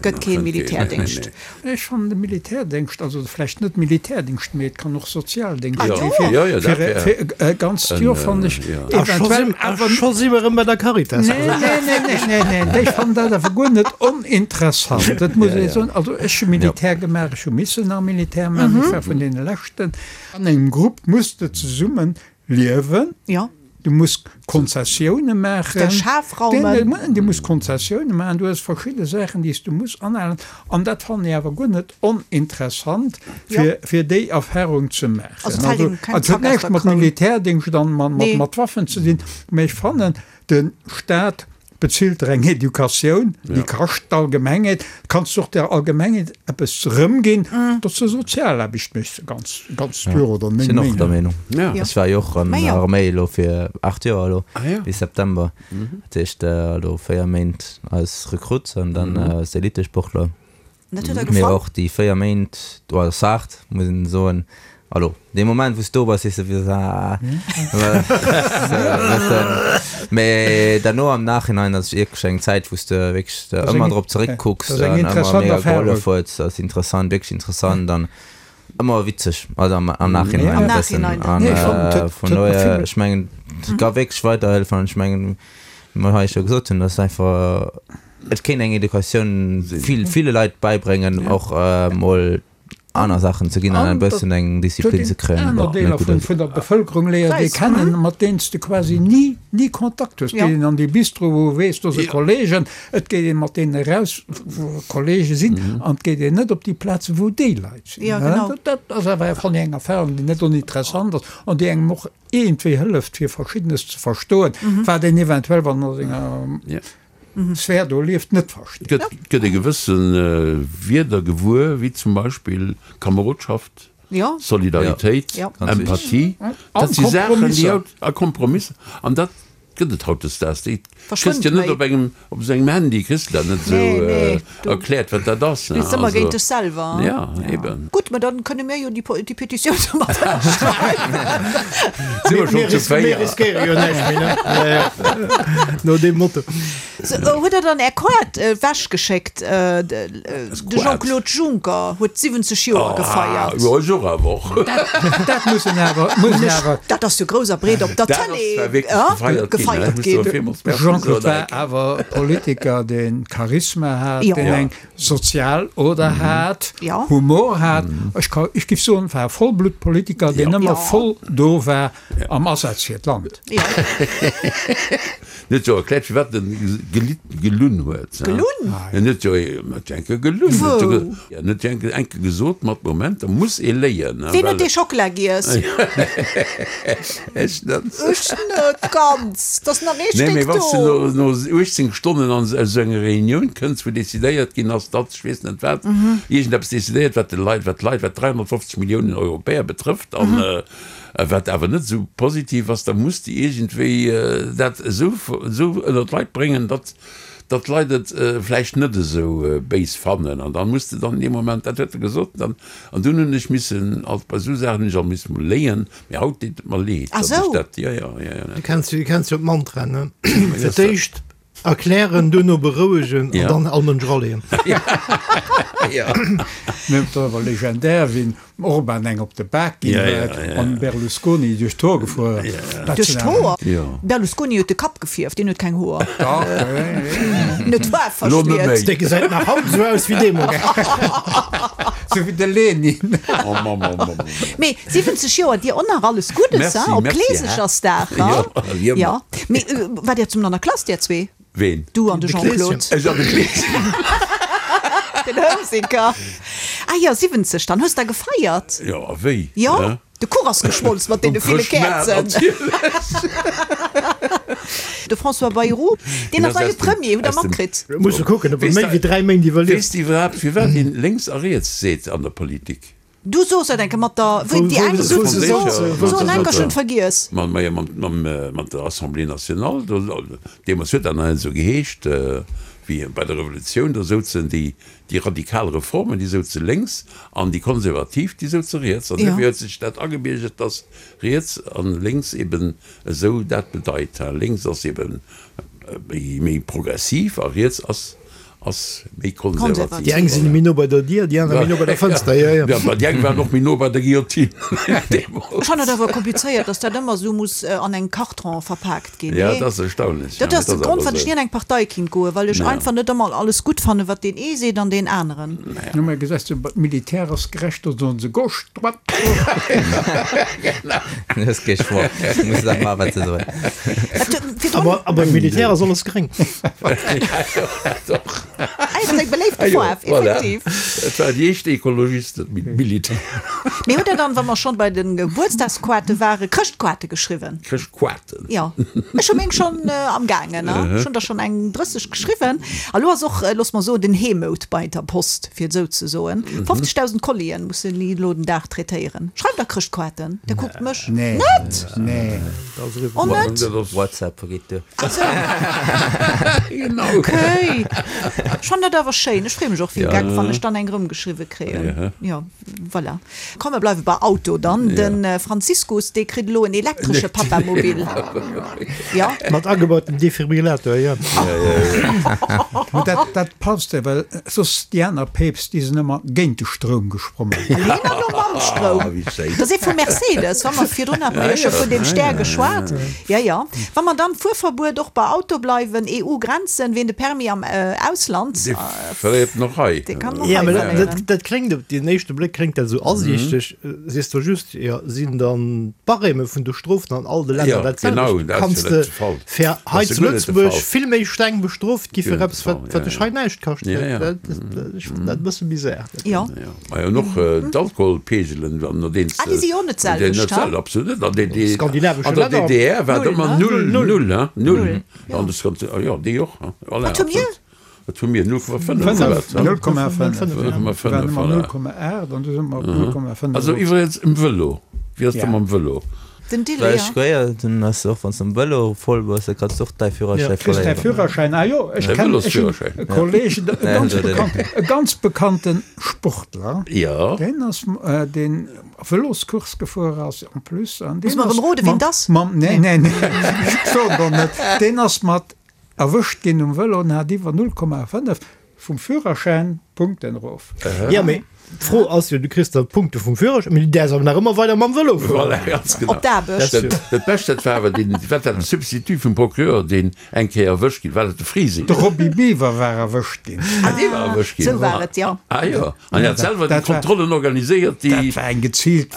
gëtt keen Militärdéngscht. Ech fannen de Militärdéngscht, also vläicht net Militärdéngscht, mee et kann och Sozialdéngscht si fir, fir e ganzt Joer, fannen ech eventuell awer. Scho si mer erëm bei der Caritas. Nee, nee, nee, nee, nee, nee, ech fannen dat awer guer net oninteressant, dat muss ech soen. Also ech hu Militär gemaach, ech hu missen nach Militär maachen, ech war vun deene leschten. An engem Grupp muss de zesumme liewen. Ja. Du muss Konzessioune maachen. Der Schaf raumen. Du muss Konzessioune maachen. Du hues verschidde Saachen, déi s du muss anhalen. An dat fannen ech awer guer net oninteressant, fir, fir déi Erfahrung ze maachen. Also, et fält engem keng Et huet Zack aus näischt der mat Kroun. Militärdéngscht an mat, mat, Nee. mat Waffen ze dinn, mä ech fannen, de Staat Bezilt der eng Educatioun, déi kascht d'Allgemengheet, kanns du och der Allgemengheet eppes erëmginn, datt s de Sozialaarbecht méchs, ganz, ganz dur oder meng Sinn och der Meenung. Meenung. Ech war jo och an der Arméi elo fir aacht Joer elo, bis September. Dat heescht elo véier Méint als Rekrutt an dann als Elitesportler. Dat huet der Mee gefall? och déi véier Méint, do ass haart, muss een soen. Allo, dee Moment wou s do bass, sees de wéi ah, mee derno am Nachhinein ass wierklech eng Zäit wou s de wierklech ëmmer drop zeréckkucks an ëmmer mega gehollef huet. Ass interessant, wierklech interessant an ëmmer witzeg, also am am Nachhinein e bëssen. An vun dohier, ech mengen, et ka wierklech weiderhëllefen an ech mengen, wéi mer hei scho gesot hunn, ass einfach, et kéint eng Educatioun vill ville Leit bäibréngen, och mol aner Saachen ze ginn an e bëssen eng Disziplin ze kréien. Aner Deeler vun vun der Bevëlkerung léiert ee kennen, mat deenen s de quasi ni ni Kontakt hues. Et geet een an dee Bistro, wou ee weess, do si Kollegen, et geet ee mat deenen eraus, wou Kollege sinn, an et geet een net op déi Plazen, wou déi Leit sinn. Dat ass awer, fannen ech, eng Erfahrung, déi net oninteressant ass an déi engem och iergendwéi hëlleft, fir Verschiddenes ze verstoen, wat een eventuell, wann a senger Sphär do lieft, net versteet. Gëtt gëtt e gewësse Wierder gewuer, wéi zum Beispill Kamerodschaft, Solidaritéit, Empathie. Dat si Saachen, déi haut, a Kompromisser, an dat gëtt et hautdesdaags. Déi kriss de net op engem, op esou engem Handy kriss de dat net esou erkläert, wat dat ass. Spills ëmmer géint dech selwer. Ja, eben. Gutt, mä dann kënne mir jo déi Petitioun do mat ënnerschreiwen. Si mer schonn zu véier. Mir riskéiere jo näischt méi, ne? No deem Motto. Sou, huet der dann Är Quad ewech geschéckt? De Jean-Claude Juncker huet siwwenzeg Joer gefeiert. Jo, ech och awer och. Dat muss en awer, muss en awer. Dat ass jo grouss a breet op der Tëlee gefeiert ginn. Jean-Claude war awer e Politiker, dee Charisma hat, deen eng sozial Oder hat, Humor hat. Ech ka, ech géif soen, war e Vollbluttpolitiker, deen ëmmer voll do war am Asaz fir d'Land. En huet jo erkläert, firwat en gelunn huet. Gelunn? En huet jo huet jo enke gelunn. Wou? En huet jo enke enke gesot, mat Moment, da muss ee léien. Ween huet dee Schockela giess? Ech net. Ech net ganz. 't ass nach ee Nee, Stéck mee wann s de do. no uechtzéng Stonnen an esou enger Reunioun kënns, wou decidéiert ginn ass, datt, ech weess net wat, iergendeppes decidéiert, wat de Leit, wat d'Leit, wat dräihonnertfofzeg Milliounen Europäer betrëfft an wat awer net esou positiv ass, da muss de iergendwéi dat esou esou ënner d'Leit bréngen, datt datt d'Leit et vläicht net esou béis fannen. An da muss de dann in deem Moment, dat huet e gesot, dann, an dunn hunn ech missen, also bei esou Saachen hunn ech alt missen mol léien, mee haut deet et mer leed, datt ech dat, jo, jo, jo, jo. Du kenns jo, du kenns jo d'Mantra, ne? Fir d'éischt erklären, duerno berouegen an dann all Mënsch eraleeën. Mir hunn awer legendär, wéi den Orban eng op de Bak ginn huet an Berlusconi duerch d'Hoer gefuer ass. Duerch d'Hoer? Berlusconi huet de Kapp gefierft, deen huet keng Hoer. Net wahr, verschmiert? Dee gesäit nach haut esou aus wéi deemools. Sou wéi de Lenin. Mee siwwenzeg Joer, dir och nach alles Guddes, hein, op Kleesechersdag, hein? Jo. Mee waart Dir zesummen an der Klass, dir zwee? Ween? Du an de Jean-Claude. Ech an de Kleeschen. Den Houseker. Ah jo, siwwenzeg dann. Hues der gefeiert? Jo, a wéi? Jo, de Kuch ass geschmolz mat deene ville Käerzen. De François Bayrou, deen ass neie Premier, hutt der matkritt? Musse kucken, ob e méi wéi dräi Méint iwwerlieft. Weess de iwwerhaapt, firwat een lénks a riets seet an der Politik? Du soos dat enke mat der, wou déi eng souzen, soen enker, ech hunn et vergiess. Mat der Assemblée nationale, do, deemools huet dat nach net esou geheescht, wéi bei der Revolutioun, do souzen déi, déi radikal Reformen, déi souze lénks an déi Konservativ, déi souze riets. An duerfir huet sech dat agebiergert, dass riets an lénks eben esou dat bedeit. Lénks ass eben méi progressiv a riets ass ass méi konservativ. Déi eng sinn méi no bei der Dier, déi aner méi no bei der Fënster. Jo, jo. Ja, déi eng waren och méi no bei der Guillotine deemools. Ech fannen et awer komplizéiert, dass dat ëmmer esou muss an engem Karton verpaakt ginn. Ja, dat ass erstaunlech. Dat ass de Grond, wat ech ni an eng Partei kinnt goen, well ech einfach net ëmmer alles gutt fannen, wat deen ee seet an deen aneren. Jo, mä gesäis du, d'Militär ass gerecht, da soen se gauche, droite, gauche. Du hues kee Choix, du muss dat maachen, wat se soen. Awer beim Militär ass alles gréng. Ja, jo, dat och. Ah, dat ass eng beléifte Faarf, effektiv. Et war déi éischt Ekologisten-Militär. Mee hutt Der dann, wa mer schonn bei de Gebuertsdagskoarte waren, Chrëschtkoarte geschriwwen? Chrëschtkoarten? Jo, ech hu meng schonn am gaangen, ech hunn der schonn eng drësseg geschriwwen. A lo ass och, looss mer soen, den Heemout bei der Post, fir et esou ze soen. fofzegdausend Collien mussen déi elo den Dag traitéieren. Schreift der Chrëschtkoarten? Der kuckt mech. Nee. Net? Nee. Oh net? WhatsApp vergeet duer. Ah sou. Genau. Okay. Ech fannen dat awer schéin. Ech freeë mech och wéi e Geck, wann ech dann eng erëmgeschriwwe kréien. Jo, voilà. Komm, mer bleiwe bei Auto dann. De Franziskus, dee kritt elo en elektresche Papamobil. Jo. Mat agebautem Defibrillator, jo. Mä dat, dat passt jo, well soss déi aner Päpst, déi sinn ëmmer géint de Stroum gesprongen. An hien ass elo mam Stroum. Dat ass ee vu Mercedes. Wa mer virdrun hate mer jo scho vun deem Stär geschwat. Jo, jo. Wa mer dann Fuerverbuet och bei Auto bleiwen, E U-Grenzen, ween de Permis am Ausland, Dee verléiert en och hei. dee kann en och Ja, hei mä dat, verléieren. dat, dat kléngt op den éischte Bléck kléngt dat esou asiichteg. Sees de just, jo, sinn dann d'Barème vun de Strofen an all de Länner Ja, dat genau, selwecht? dat ass Kanns jo de net de Fall. fir Dat hei ass jo zu guer net de Lëtzebuerg Fall. vill méi streng bestrooft gi Guer fir net de eppes, wat, Fall, wat ja, dech ja. hei näischt kascht? Ja, ja. Dat, dat, ech fannen dat e bësse bizar. Dat. Jo. Ja, ma jo, an och d'Alkoholpegelen, wann nodeems Ah, déi si jo och net de, déi d'selwecht, net ha? absolut net. An déi, déi, Skandinavesche an der Länner. D D R war et Null, ëmmer ne? null, Null. null, hein, null. Null, jo. An de Skand, ah jo, déi och, hein, voilà, Wat hu mir? absolut. Wat hu mir? null Komma fënnef, oder wat, hein? null Komma fënnef. null Komma Waren fënnef, ëmmer voilà. null Komma aacht an du si mer op null Komma fënnef Also erof. iwwregens um Vëlo, wéi ass dat Ja. mam Vëlo? Den Délai, Well ja. ech gehéiert hunn, ass och wann s de am Vëlo voll bass, da kanns de och däi Führerschäi Kriss däi verléieren. Führerschäin, ah jo, ech Däi kennen, ech hunn Vëlosführerschäin. e Kolleg, e Nee, ganz dat net. bekannt, e ganz bekannte Sportler, Ja. deen ass, deen Vëloscourse gefuer ass en plus, an Muss deen mer ass erëm roden, wien mam, 't ass? mam, nee, Nee. nee, nee, ech soen der net, deen ass mat erwëscht ginn um Vëlo an hat iwwer null Komma fënnef vum Führerschäin Punkten erof. Ja, mee d'Fro ass jo, du kriss da Punkte vum Führerschäin, mee du däerfs awer nach ëmmer weider mam Vëlo fueren. Voilà, ganz genau. Op d'Aarbecht. Dat, dat Bescht, dat war awer deen, wat war den Substitut vum Procureur, deen eng Kéier erwëscht ginn, war dat de Frising? De Roby Biwer war erwëscht ginn. Ah, dee war erwëscht ginn. Sou war et, jo. Ah jo, an hie hat selwer déi Dat war- Kontrollen organiséiert, déi. Dat war eng geziilt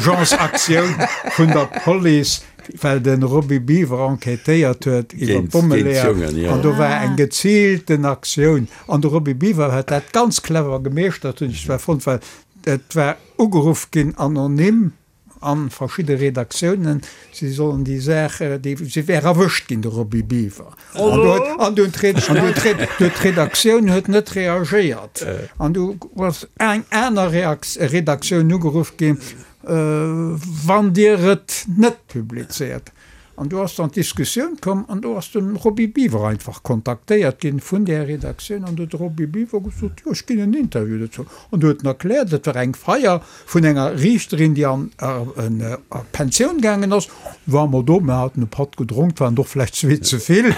Vengeance-Aktioun vun der Police, well de Roby Biwer enquêtéiert huet iwwer Géint- géint d'Bommeleeër. d'Jongen, jo. An do war eng geziilten Aktioun. An de Roby Biwer huet dat ganz clever gemeeschtert, hunn ech zwar fonnt, well et war ugeruff ginn anonym an verschidde Redaktiounen, si sollen déi Saach, déi, si wär erwëscht ginn, de Roby Biwer. An do huet, an do huet d'Red, an do huet d'Red, do huet d'Redaktioun huet net reagéiert. An du ass eng aner Reaks, Redaktioun ugeruff ginn, Wann Dir et net publizéiert. An do ass dann d'Diskussioun komm an do ass de Roby Biwer einfach kontaktéiert ginn vun där Redaktioun an do huet de Roby Biwer gesot, jo ech ginn en Interview dozou. An do huet en erkläert, et war eng Feier vun enger Riichterin, déi an a Pensioun gaangen ass, war mer do, mir haten e Patt gedronk, waren och vläicht zwee ze vill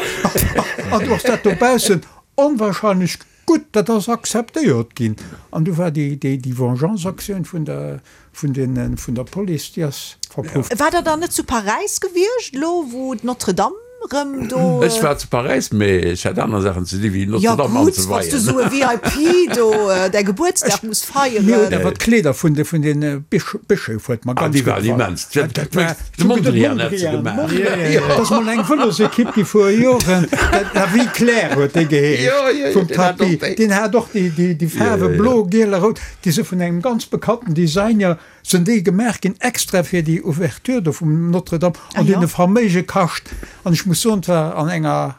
an do ass dat dobaussen onwahrscheinlech gutt, dat ass akzeptéiert ginn. An du war déi, déi, déi Vengeance-Aktioun vun der, vun den, vun der Police, déi ass verpufft. War Der dann net zu Paräis gewiescht, elo wou d'Notre-Dame rëm do. Ech war zu Paräis, mee ech hat aner Saachen ze di wéi Ja Notre-Dame gutt, wann s du anzeweien. esou e V I P do däi Gebuertsdag muss Mir hunn feieren. awer d'Kleeder vun de, vun den Bëscheef huet mer Ah, ganz déi gutt waren gefall. immens. Dat, dat war De Mondrian hat se gemaach. Dat ass mol eng Vëlosekipp gi vor Joren, dat La Vie Claire huet déi geheescht, vum Tapie. Deen hat och déi, déi, déi Faarwe blo, giel a rout. Déi si vun engem ganz bekannten Designer sinn déi gemaach ginn, extra fir déi Ouverture do vum Notre-Dame an déi hunn e Verméige kascht. An ech muss soen, et war an enger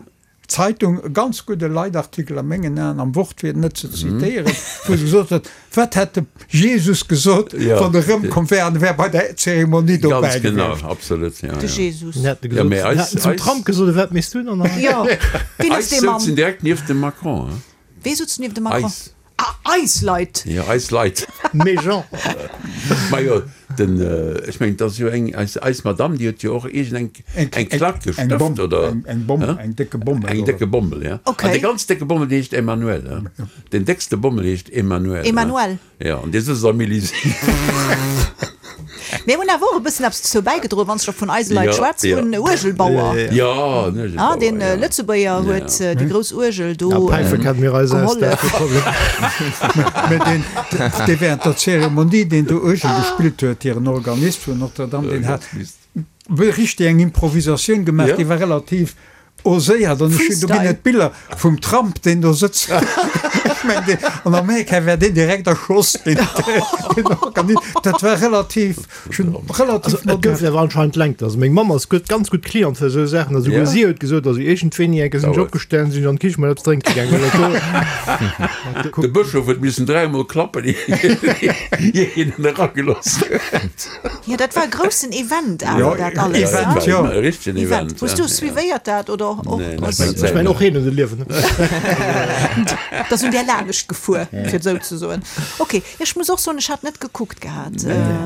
Zeitung e ganz gudde Leitartikel a mengen Aen, am Wort fir et net ze zitéieren, wou se gesot huet, Wat hätt de Jesus gesot, wann e rëmkomm wär an e wär bei der Zeremonie dobäi Ganz genau, gewiescht? absolut, ja, De ja. Jesus. Mir hätte Ja, gesot, mee mir eis, hätten zum eis, Trump gesot, wat méchs du dann? Jo, wien ass eis dee Mann? souzen direkt nieft dem Macron, hein? Wee sutz nieft dem Macron? Eis. Ah, eis Leit! Jo, eis Leit. Mes gens. Majo, den, ech mengen, et ass jo eng, eis, eis Madame, déi huet jo och iergend eng, eng Klack Eng gestëft, Bomm, oder? eng, eng Bomm, Hä? eng décke Bommel, Eng oder? décke Bommel, ja. Okay. An dee ganz décke Bommel, dee heescht Emmanuel, hä? Den déckste Bommel heescht Emmanuel, hä? Emmanuel. Ja, an dee sëtzt am Élysée. Mir hunn awer och e bëssen eppes dozou bäigedroen, wann s de scho vun eise Leit Ja, schwätz, ja. vun Uergelbauer. Ja, den Uergelbauer, Ah, den ja. Lëtzebuerger huet déi grouss Uergel do Ja, Päife kennen mir eis aus, dat gehollef. ass kee Problem. Mä deen, dee während der Zeremonie, deen do Uergel gespillt huet, hiren Organist vun Notre-Dame, deen hat richteg eng Improvisatioun gemaach, Ja. déi war relativ Oséiert an ech hunn, do ginn et Biller vum Trump, deen do sëtzt. Ech mengen, deen, an Amerika wär deen direkt erschoss ginn. Dat war relativ, ech hunn relativ Also, et gouf awer anscheinend Lenkt. Also meng Mamm ass gutt, ganz gutt Cliente fir esou Saachen. Also souguer si huet gesot, also iergendwéini eng Kéier sinn ech opgestanen, sinn ech an d'Kiche mol eppes drénke gaangen, well dat do. De Bëschof huet missen dräimol klappen, ier hien en eragelooss huet. Jo, dat war e groussen Event awer, dat alles. Event, jo. E richtegen Event. Hues du suivéiert dat oder och? Nee, Ech mengen och heen huet e Liewen. Dat ass un där laanescht gefuer, fir et esou ze soen. Ok, ech muss och soen, ech hat net gekuckt gehat.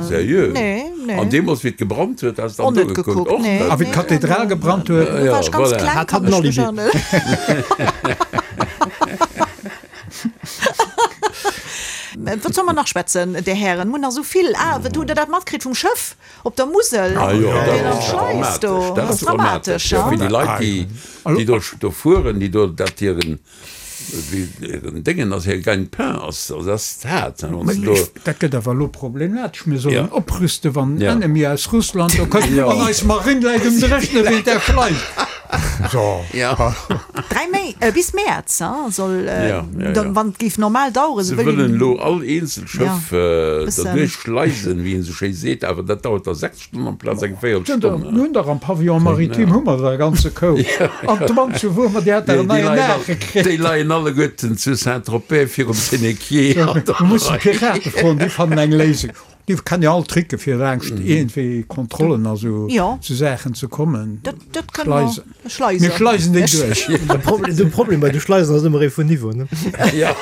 Seriö? Nee, nee. An deemools, wéi et gebrannt huet, has de Och dann do net gekuckt? gekuckt, Och nee. net? A wéi d'Kathedral gebrannt huet? Do war ech ganz voilà. kleng, Hat kann hat en ech mech Alibi. erënneren. Wat solle mer nach schwätzen, Dir Hären? Mir hunn nach esou vill. Ah, wat hutt Der dat matkritt vum Schëff op der Musel? Ah jo, dat Deen an ass d'Schleis dramatesch. do. Dat ass dramatesch, jo. Wéi déi Leit, déi, déi do, do fueren, déi do dat hiren, wéi hiren Déngen ass, hir Gagne-pain ass, also dat ass haart, hein, wann s de do. Dat gëtt awer elo problematesch. Mir sollen Ja. oprüsten, wann en Ja. Ennemi aus Russland do kënnt Ja. an eis Marinn läit um Dréchne wéint der Schleis. So. Ja. Dräi Méi, äh, bis Mäerz, hein, soll, äh, Ja, ja, dann, ja. wann et géif normal daueren, Se se wëllen wëllen elo all eenzel Schëff Ja, äh, bëssen. derduerch schleisen, wéi een esou schéi seet, awer dat dauert da sechs Stonnen amplaz eng Véierelstonn. Mir hunn dach am Pavillon maritime hu mer der e ganze Koup. An d'Mand zu Wuermer, déi hat der en Déi neien leien all, Naache kritt. déi leien alleguerten zu Saint-Tropez virum Sénéquier an der Mir mussen Rei. d'Pirate froen, déi fannen eng Léisung. Déi kennen jo all Tricke fir laangscht iergendwéi Kontrollen a sou sou Saachen ze kommen. Dat, dat kënne mer. Schleisen. Schleisen. Mir schleisen déi duerch. De Problem, de Problem bei de Schleisen ass ëmmer ee vun Niveau, ne? Ja.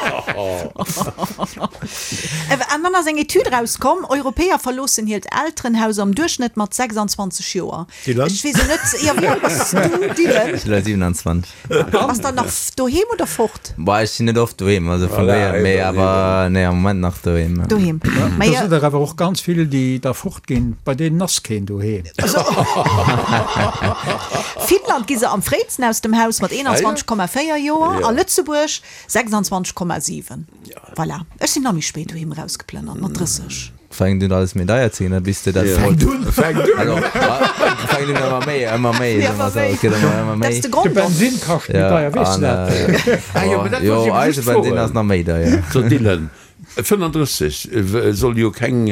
An dann ass eng Etüd erauskomm, Europäer verloossen hiert Elterenhaus am Duerchschnëtt mat sechsundzwanzeg Joer. Dylan? Ech weess jo net, jo, wéi al bass du, Dylan? Ech sinn elo siewenundzwanzeg. Bass dann nach doheem oder fort? Boah, ech sinn net oft doheem, also vun Voilà, dohier, mee eben, awer nee, am Moment nach doheem. Doheem. Da sinn der awer och ganz vill, déi da fortginn, bei deenen ass keen doheem. Finnland gi se am fréisten aus dem Haus mat eenanzwanzeg Komma véier Joer a Lëtzebuerg sechsundzwanzeg Komma siwen. Voilà. Ech sinn nach méi spéit doheem erausgeplënnert, mat drësseg. Fänkt un alles méi deier ze ginn, da bis de dat Fänkt un! Fänkt un! Also, fänkt un ëmmer méi, ëmmer méi, Ja, ëmmer méi. Et gëtt ëmmer, ëmmer Dat méi. ass de De Grond och. Bensin kascht méi deier, weess de an, dat? Ah jo, mä dat jo, wollt ech eben eise just Bensin froen. ass nach méi deier. So Dylan, fënnandrësseg soll jo keng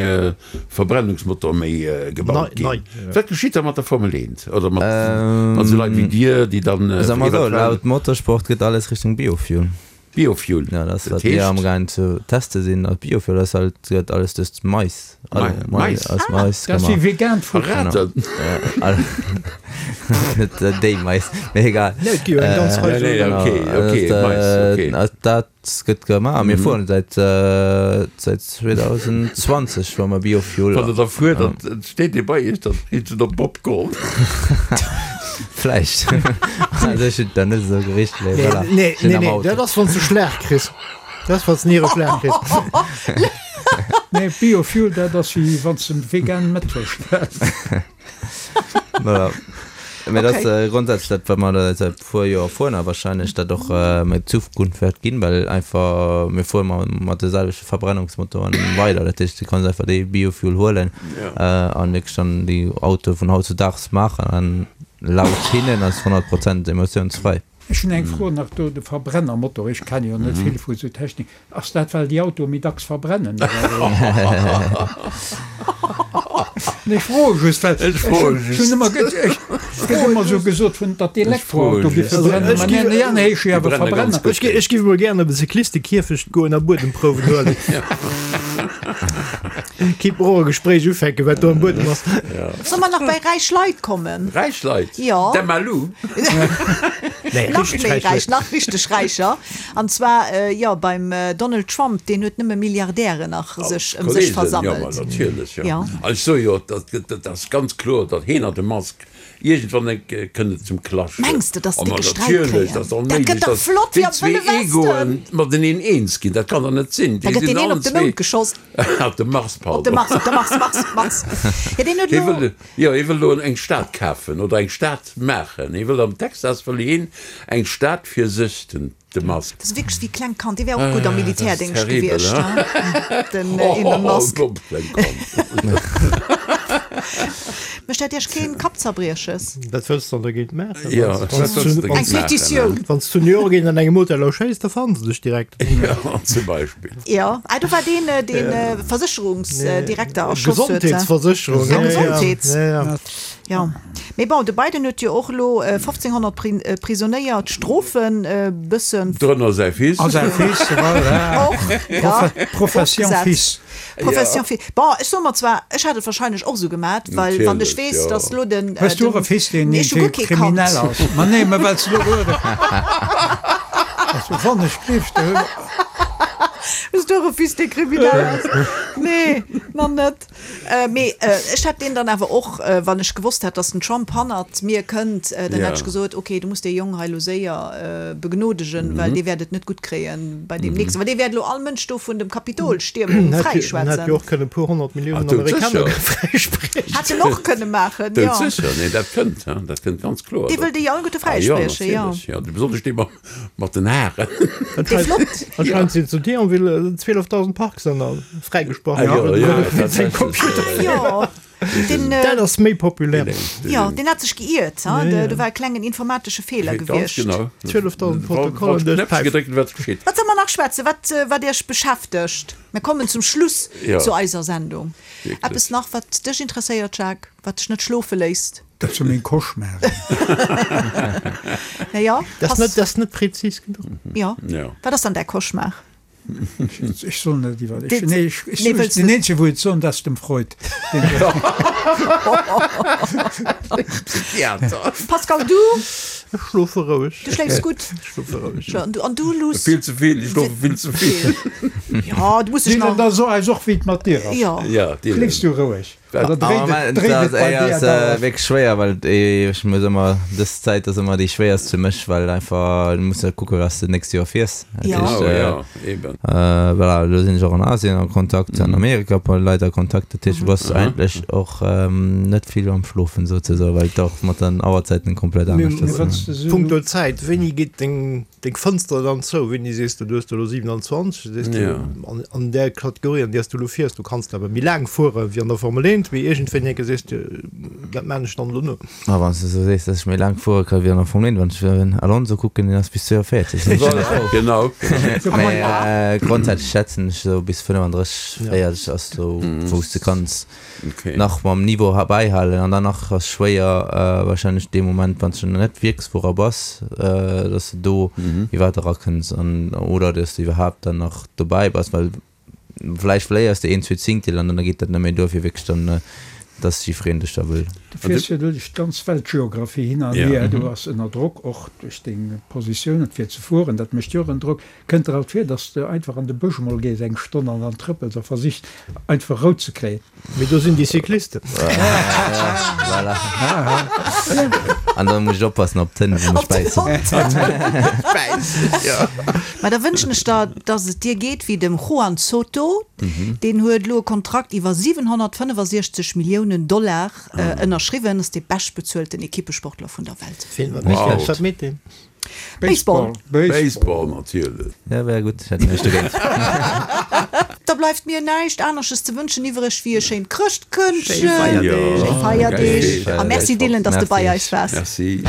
Verbrennungsmotor méi gebaut ginn. Nei, nei. Wat geschitt da mat der Formel eent oder mat mat esou Leit wéi dir, déi dann Soe mer esou, eventuell laut Motorsport gëtt alles Richtung Biofuel. Biofuel, Ja, dat ass dat wat mir heescht? amgaang ze teste sinn als Biofuel, dat ass halt, gëtt alles duerch Mais, Mais, Mais? aus Mais Dat ass wéi gemaach. vegaant Futter. Verraten. Net déi Mais, mee egal. Nee, et gi jo eng ganz Rei Nee, nee, esou. okay, okay, Genau, Mais, okay. dat, dat gëtt gemaach. Mir fueren säit säit zweedausendzwanzeg fuere mer Biofuel. Wann der da fuert, dann steet dee bei iech, dann heescht et op Popcorn. Vläicht. Also ech hunn da net esou gericht, mee Nee, voilà. nee, Sinn nee, am nee, Auto. dat ass wann s de Schlag kriss. Dat ass wann s de Niereschlag kriss. Nee, Biofuel, dat ass wéi wann s de vegan Mettwurscht hues. Voilà. Mee dat Okay. ass äh, grondsätzlech dat, wat mer da säit puer Joer fueren a wahrscheinlech dat och äh, méi Zukunft wäert ginn, well einfach mir fuere mat, mat de selwechte Verbrennungsmotoren weider. Dat heescht, du kanns einfach dee Biofuel huelen Ja. äh, an wierklech dann déi Autoe vun hautzudaags maachen an laut hinnen ass honnert Prozent emissiounsfrei. Ech hunn eng Fro nach do, de Verbrennermotor, ech kenne jo net vill vu sou Technik, ass dat well déi Autoe méi dacks verbrennen oder wéi? Nee, ech froe just, well Ech froe ech just. hunn ëmmer ge-, ech gëtt ëmmer sou gesot vun, datt d'Elektroauto Ech géif froe verbrennen, just. ma nee, nee, nee, ech Déi awer brenne ganz Verbrenner. gutt. Ech gi, ech giff emol gären op e Cyclistekierfecht goen a Buedemprouwen huelen. Kinnt mer och e Gespréich ufänken, wat do am Buedem ass. Soll mer nach bei räich Leit kommen? Räich Leit? Jo. D'Emma Lou? Nee, Nach richteg méi räich räich, Leit. nach richteg räicher. An zwar, jo, beim Donald Trump, deen huet nëmme Milliardären nach sech ëm sech Kollegen, jo, ma versammelt. natierlech, jo. Jo. An ech soe jo, dat gëtt, dat ass ganz kloer, datt heen an de Musk iergendwann eng Kéier kënnt et zum Clash. Mengs de, datt Oh, déi ma Gesträit natierlech, kréien? dat ass Dat onméiglech, gëtt dach datt flott déi wéi am zwee Wëlle Westen. Egoen mateneen eens ginn. Dat kann dach net sinn. Da Déi gëtt sinn deen een allen op de zwee Mound geschoss. Op de Mars, Op de pardon. Mars, op de Mars, Mars, Mars. Ja, deen huet Hie elo. wëll, jo, hie wëll elo eng Stad kafen oder eng Stad maachen. Hie wëll am Texas wëll hien eng Stad fir sech, den, de Musk. Dat ass wierklech wéi klengt Kand. Dee wär och gutt am Ah, dat ass Militärdéngscht terribel, gewiescht, hein? hein? Den Oh, Elon Musk. domm klengt Kand. Mécht Mécht dat Iech keen Kappzerbrieches? Wat wëlls de dann dergéint maachen? Jo, wat wëlls de dergéint Eng maachen? Petitioun. Wann s zu New York een an engem Hotel erschéisst, da fannen se dech direkt. Jo, zum Beispill. Jo, ah, do war deen, deen Versécherungsdirekter erschoss huet. Gesondheetsversécherung, Ja, ja, ja. Gesondheets. Ja, ja. Jo, mee bon, de Biden huet jo och elo fofzénghonnert Prisonéier d'Strofen e bëssen. Drënner säi Fils. A säi Fils, voilà. Och, ja. Profession Fils. Profession Fils. Bon, ech soe mer zwar, ech hätt et wahrscheinlech och esou gemat, well wann ech weess, datt elo den. Hues du och e Fils, deen Nee, ech hu guer kee Kand. kriminell ass? Ma nee, mä well s du elo gehuet hues. Wann ech gleefs, du. Hues du och e Fils, dee kriminell ass? Nee, nach net. Mee ech hätt deen dann awer och, wann ech gewosst hätt, datt den Trump hannert mir kënnt, dann hätt ech gesot, okay, du muss dee Jong hei elo séier begnodegen, well dee wäert et net gutt kréien bei deem nächsten, well dee wäert elo all Mënsch do vun dem Kapitolstiermung fräischwätzen. En hätt jo och kënne e puer honnert Milliounen Amerikaner fräispriechen. Hätt en och kënne maachen, jo. Doudsécher, nee, dat kënnt, dat kënnt ganz kloer. Dee wëll déi alleguerte fräispriechen, jo. Jo, natierlech, jo, besonnesch dee mam. Mat den Haaren. Dee flott. Anscheinend sinn zu Thionville zwielefdausend Parksënner fräigesprach ginn. Jo, deen. Dat ass méi populär. Jo, deen hat sech geiert, ha? Do war e klengen informatesche Feeler Ganz gewiescht. genau. Zwielefdausend Protokoller duerch Knäppche d'Päif. gedréckt, wat geschitt? Wat soll mer nach schwätzen, wat, wat Iech beschäftegt? Mir kommen zum Schluss zu eiser Sendung. Eppes nach, wat dech interesséiert, Jacques, wat dech net schlofe léisst? Dat sinn meng Cauchemaren. Na jo, Dat ass net, dat ass net präzis genuch. Jo. Wat ass dann däi Cauchemar? Ech soll net iwwer, ech, nee, ech, ech, nee, wëlls den eenzege wou et soen, dat ass dem Freud. Psychiater. Pascal, du? Ech schlofe roueg. Du schléifs gutt? Ech schlofe roueg. Jo, an du, an du Luss? Vill ze vill, ech schlofe vill ze vill. Jo, du muss dech nach. Da so eis och, wéi et mat dir ass. Jo. Ja, Schléifs du roueg? Dat ass wierklech schwéier, well ech muss ëmmer, dës Zäit ass ëmmer déi schwéierst fir mech, well einfach du muss jo kucke wat s de d'nächst Joer fiers. Jo. Voilà, elo sinn ech och an Asien a Kontakt, an Amerika mat Leit a Kontakt, dat heescht du bass eigentlech och net vill am Schlofen souzesoen, well et och mat den Auerzäiten komplett anescht ass. Punkto Zäit, wéini geet deng Deng Fënster dann zou, wéini sees de, du hues der elo siwenanzwanzeg, du sees du, an, an där Kategorie, an där s du elo fiers, du kanns awer méi laang fuere wéi an der Formel eent, mee iergendwéini enke sees de, dat maan ech dann elo no. Ma wann s de esou sees, dass ech méi laang fuere ka wéi an der Formel eent, wann ech den Alonso kucken, deen ass bis zwouavéierzeg, sinn ech schon frou. Genau. Mee grondsätzlech schätzen ech esou bis fënnefandrësseg, véierzeg ass esou, wou s de kanns nach mam Niveau bäihalen an dann nach ass schwéier wahrscheinlech dee Moment wann s du nach net Wierksfuerer bass, dass de do iwwerhaapt erakënns an oder dass de iwwerhaapt dann nach dobäi bass, well vläicht verléiers de een, zwee Zingtel an dann geet dat net méi duer fir wierklech dann, dass jiffreen dech da wëll. Du fiers jo duerch d'ganz Weltgeographie hin an hier, du bass ënner Drock och duerch deng Positioun fir ze fueren, dat mécht jo och en Drock. Kënnt der alt vir, dass de einfach an de Bësch mol gees eng Stonn an dann trëppels a versichs einfach Rou ze kréien? Mee do sinn déi Cyclisten. Voilà. An da muss ech oppassen op d'Hënn, déi mech bäissen. Mä da wënschen ech der, dass et dir geet wéi dem Juan Soto. Deen huet elo e Kontrakt iwwer siwenhonnertfënnefasiechzeg Milliounen Dollar ënnerschriwwen. Ass dee beschtbezuelten Ekippesportler vun der Welt. Wat meet deen? Baseball. Baseball natierlech. Ja, wär gutt, ech hätt näischt dogéint. Da bleift mir näischt anersches ze wënschen iwwereg wéi e schéint Chrëschtkëndchen. Schéi Feierdeeg. A merci Dylan, dass de bei eis waars. Merci.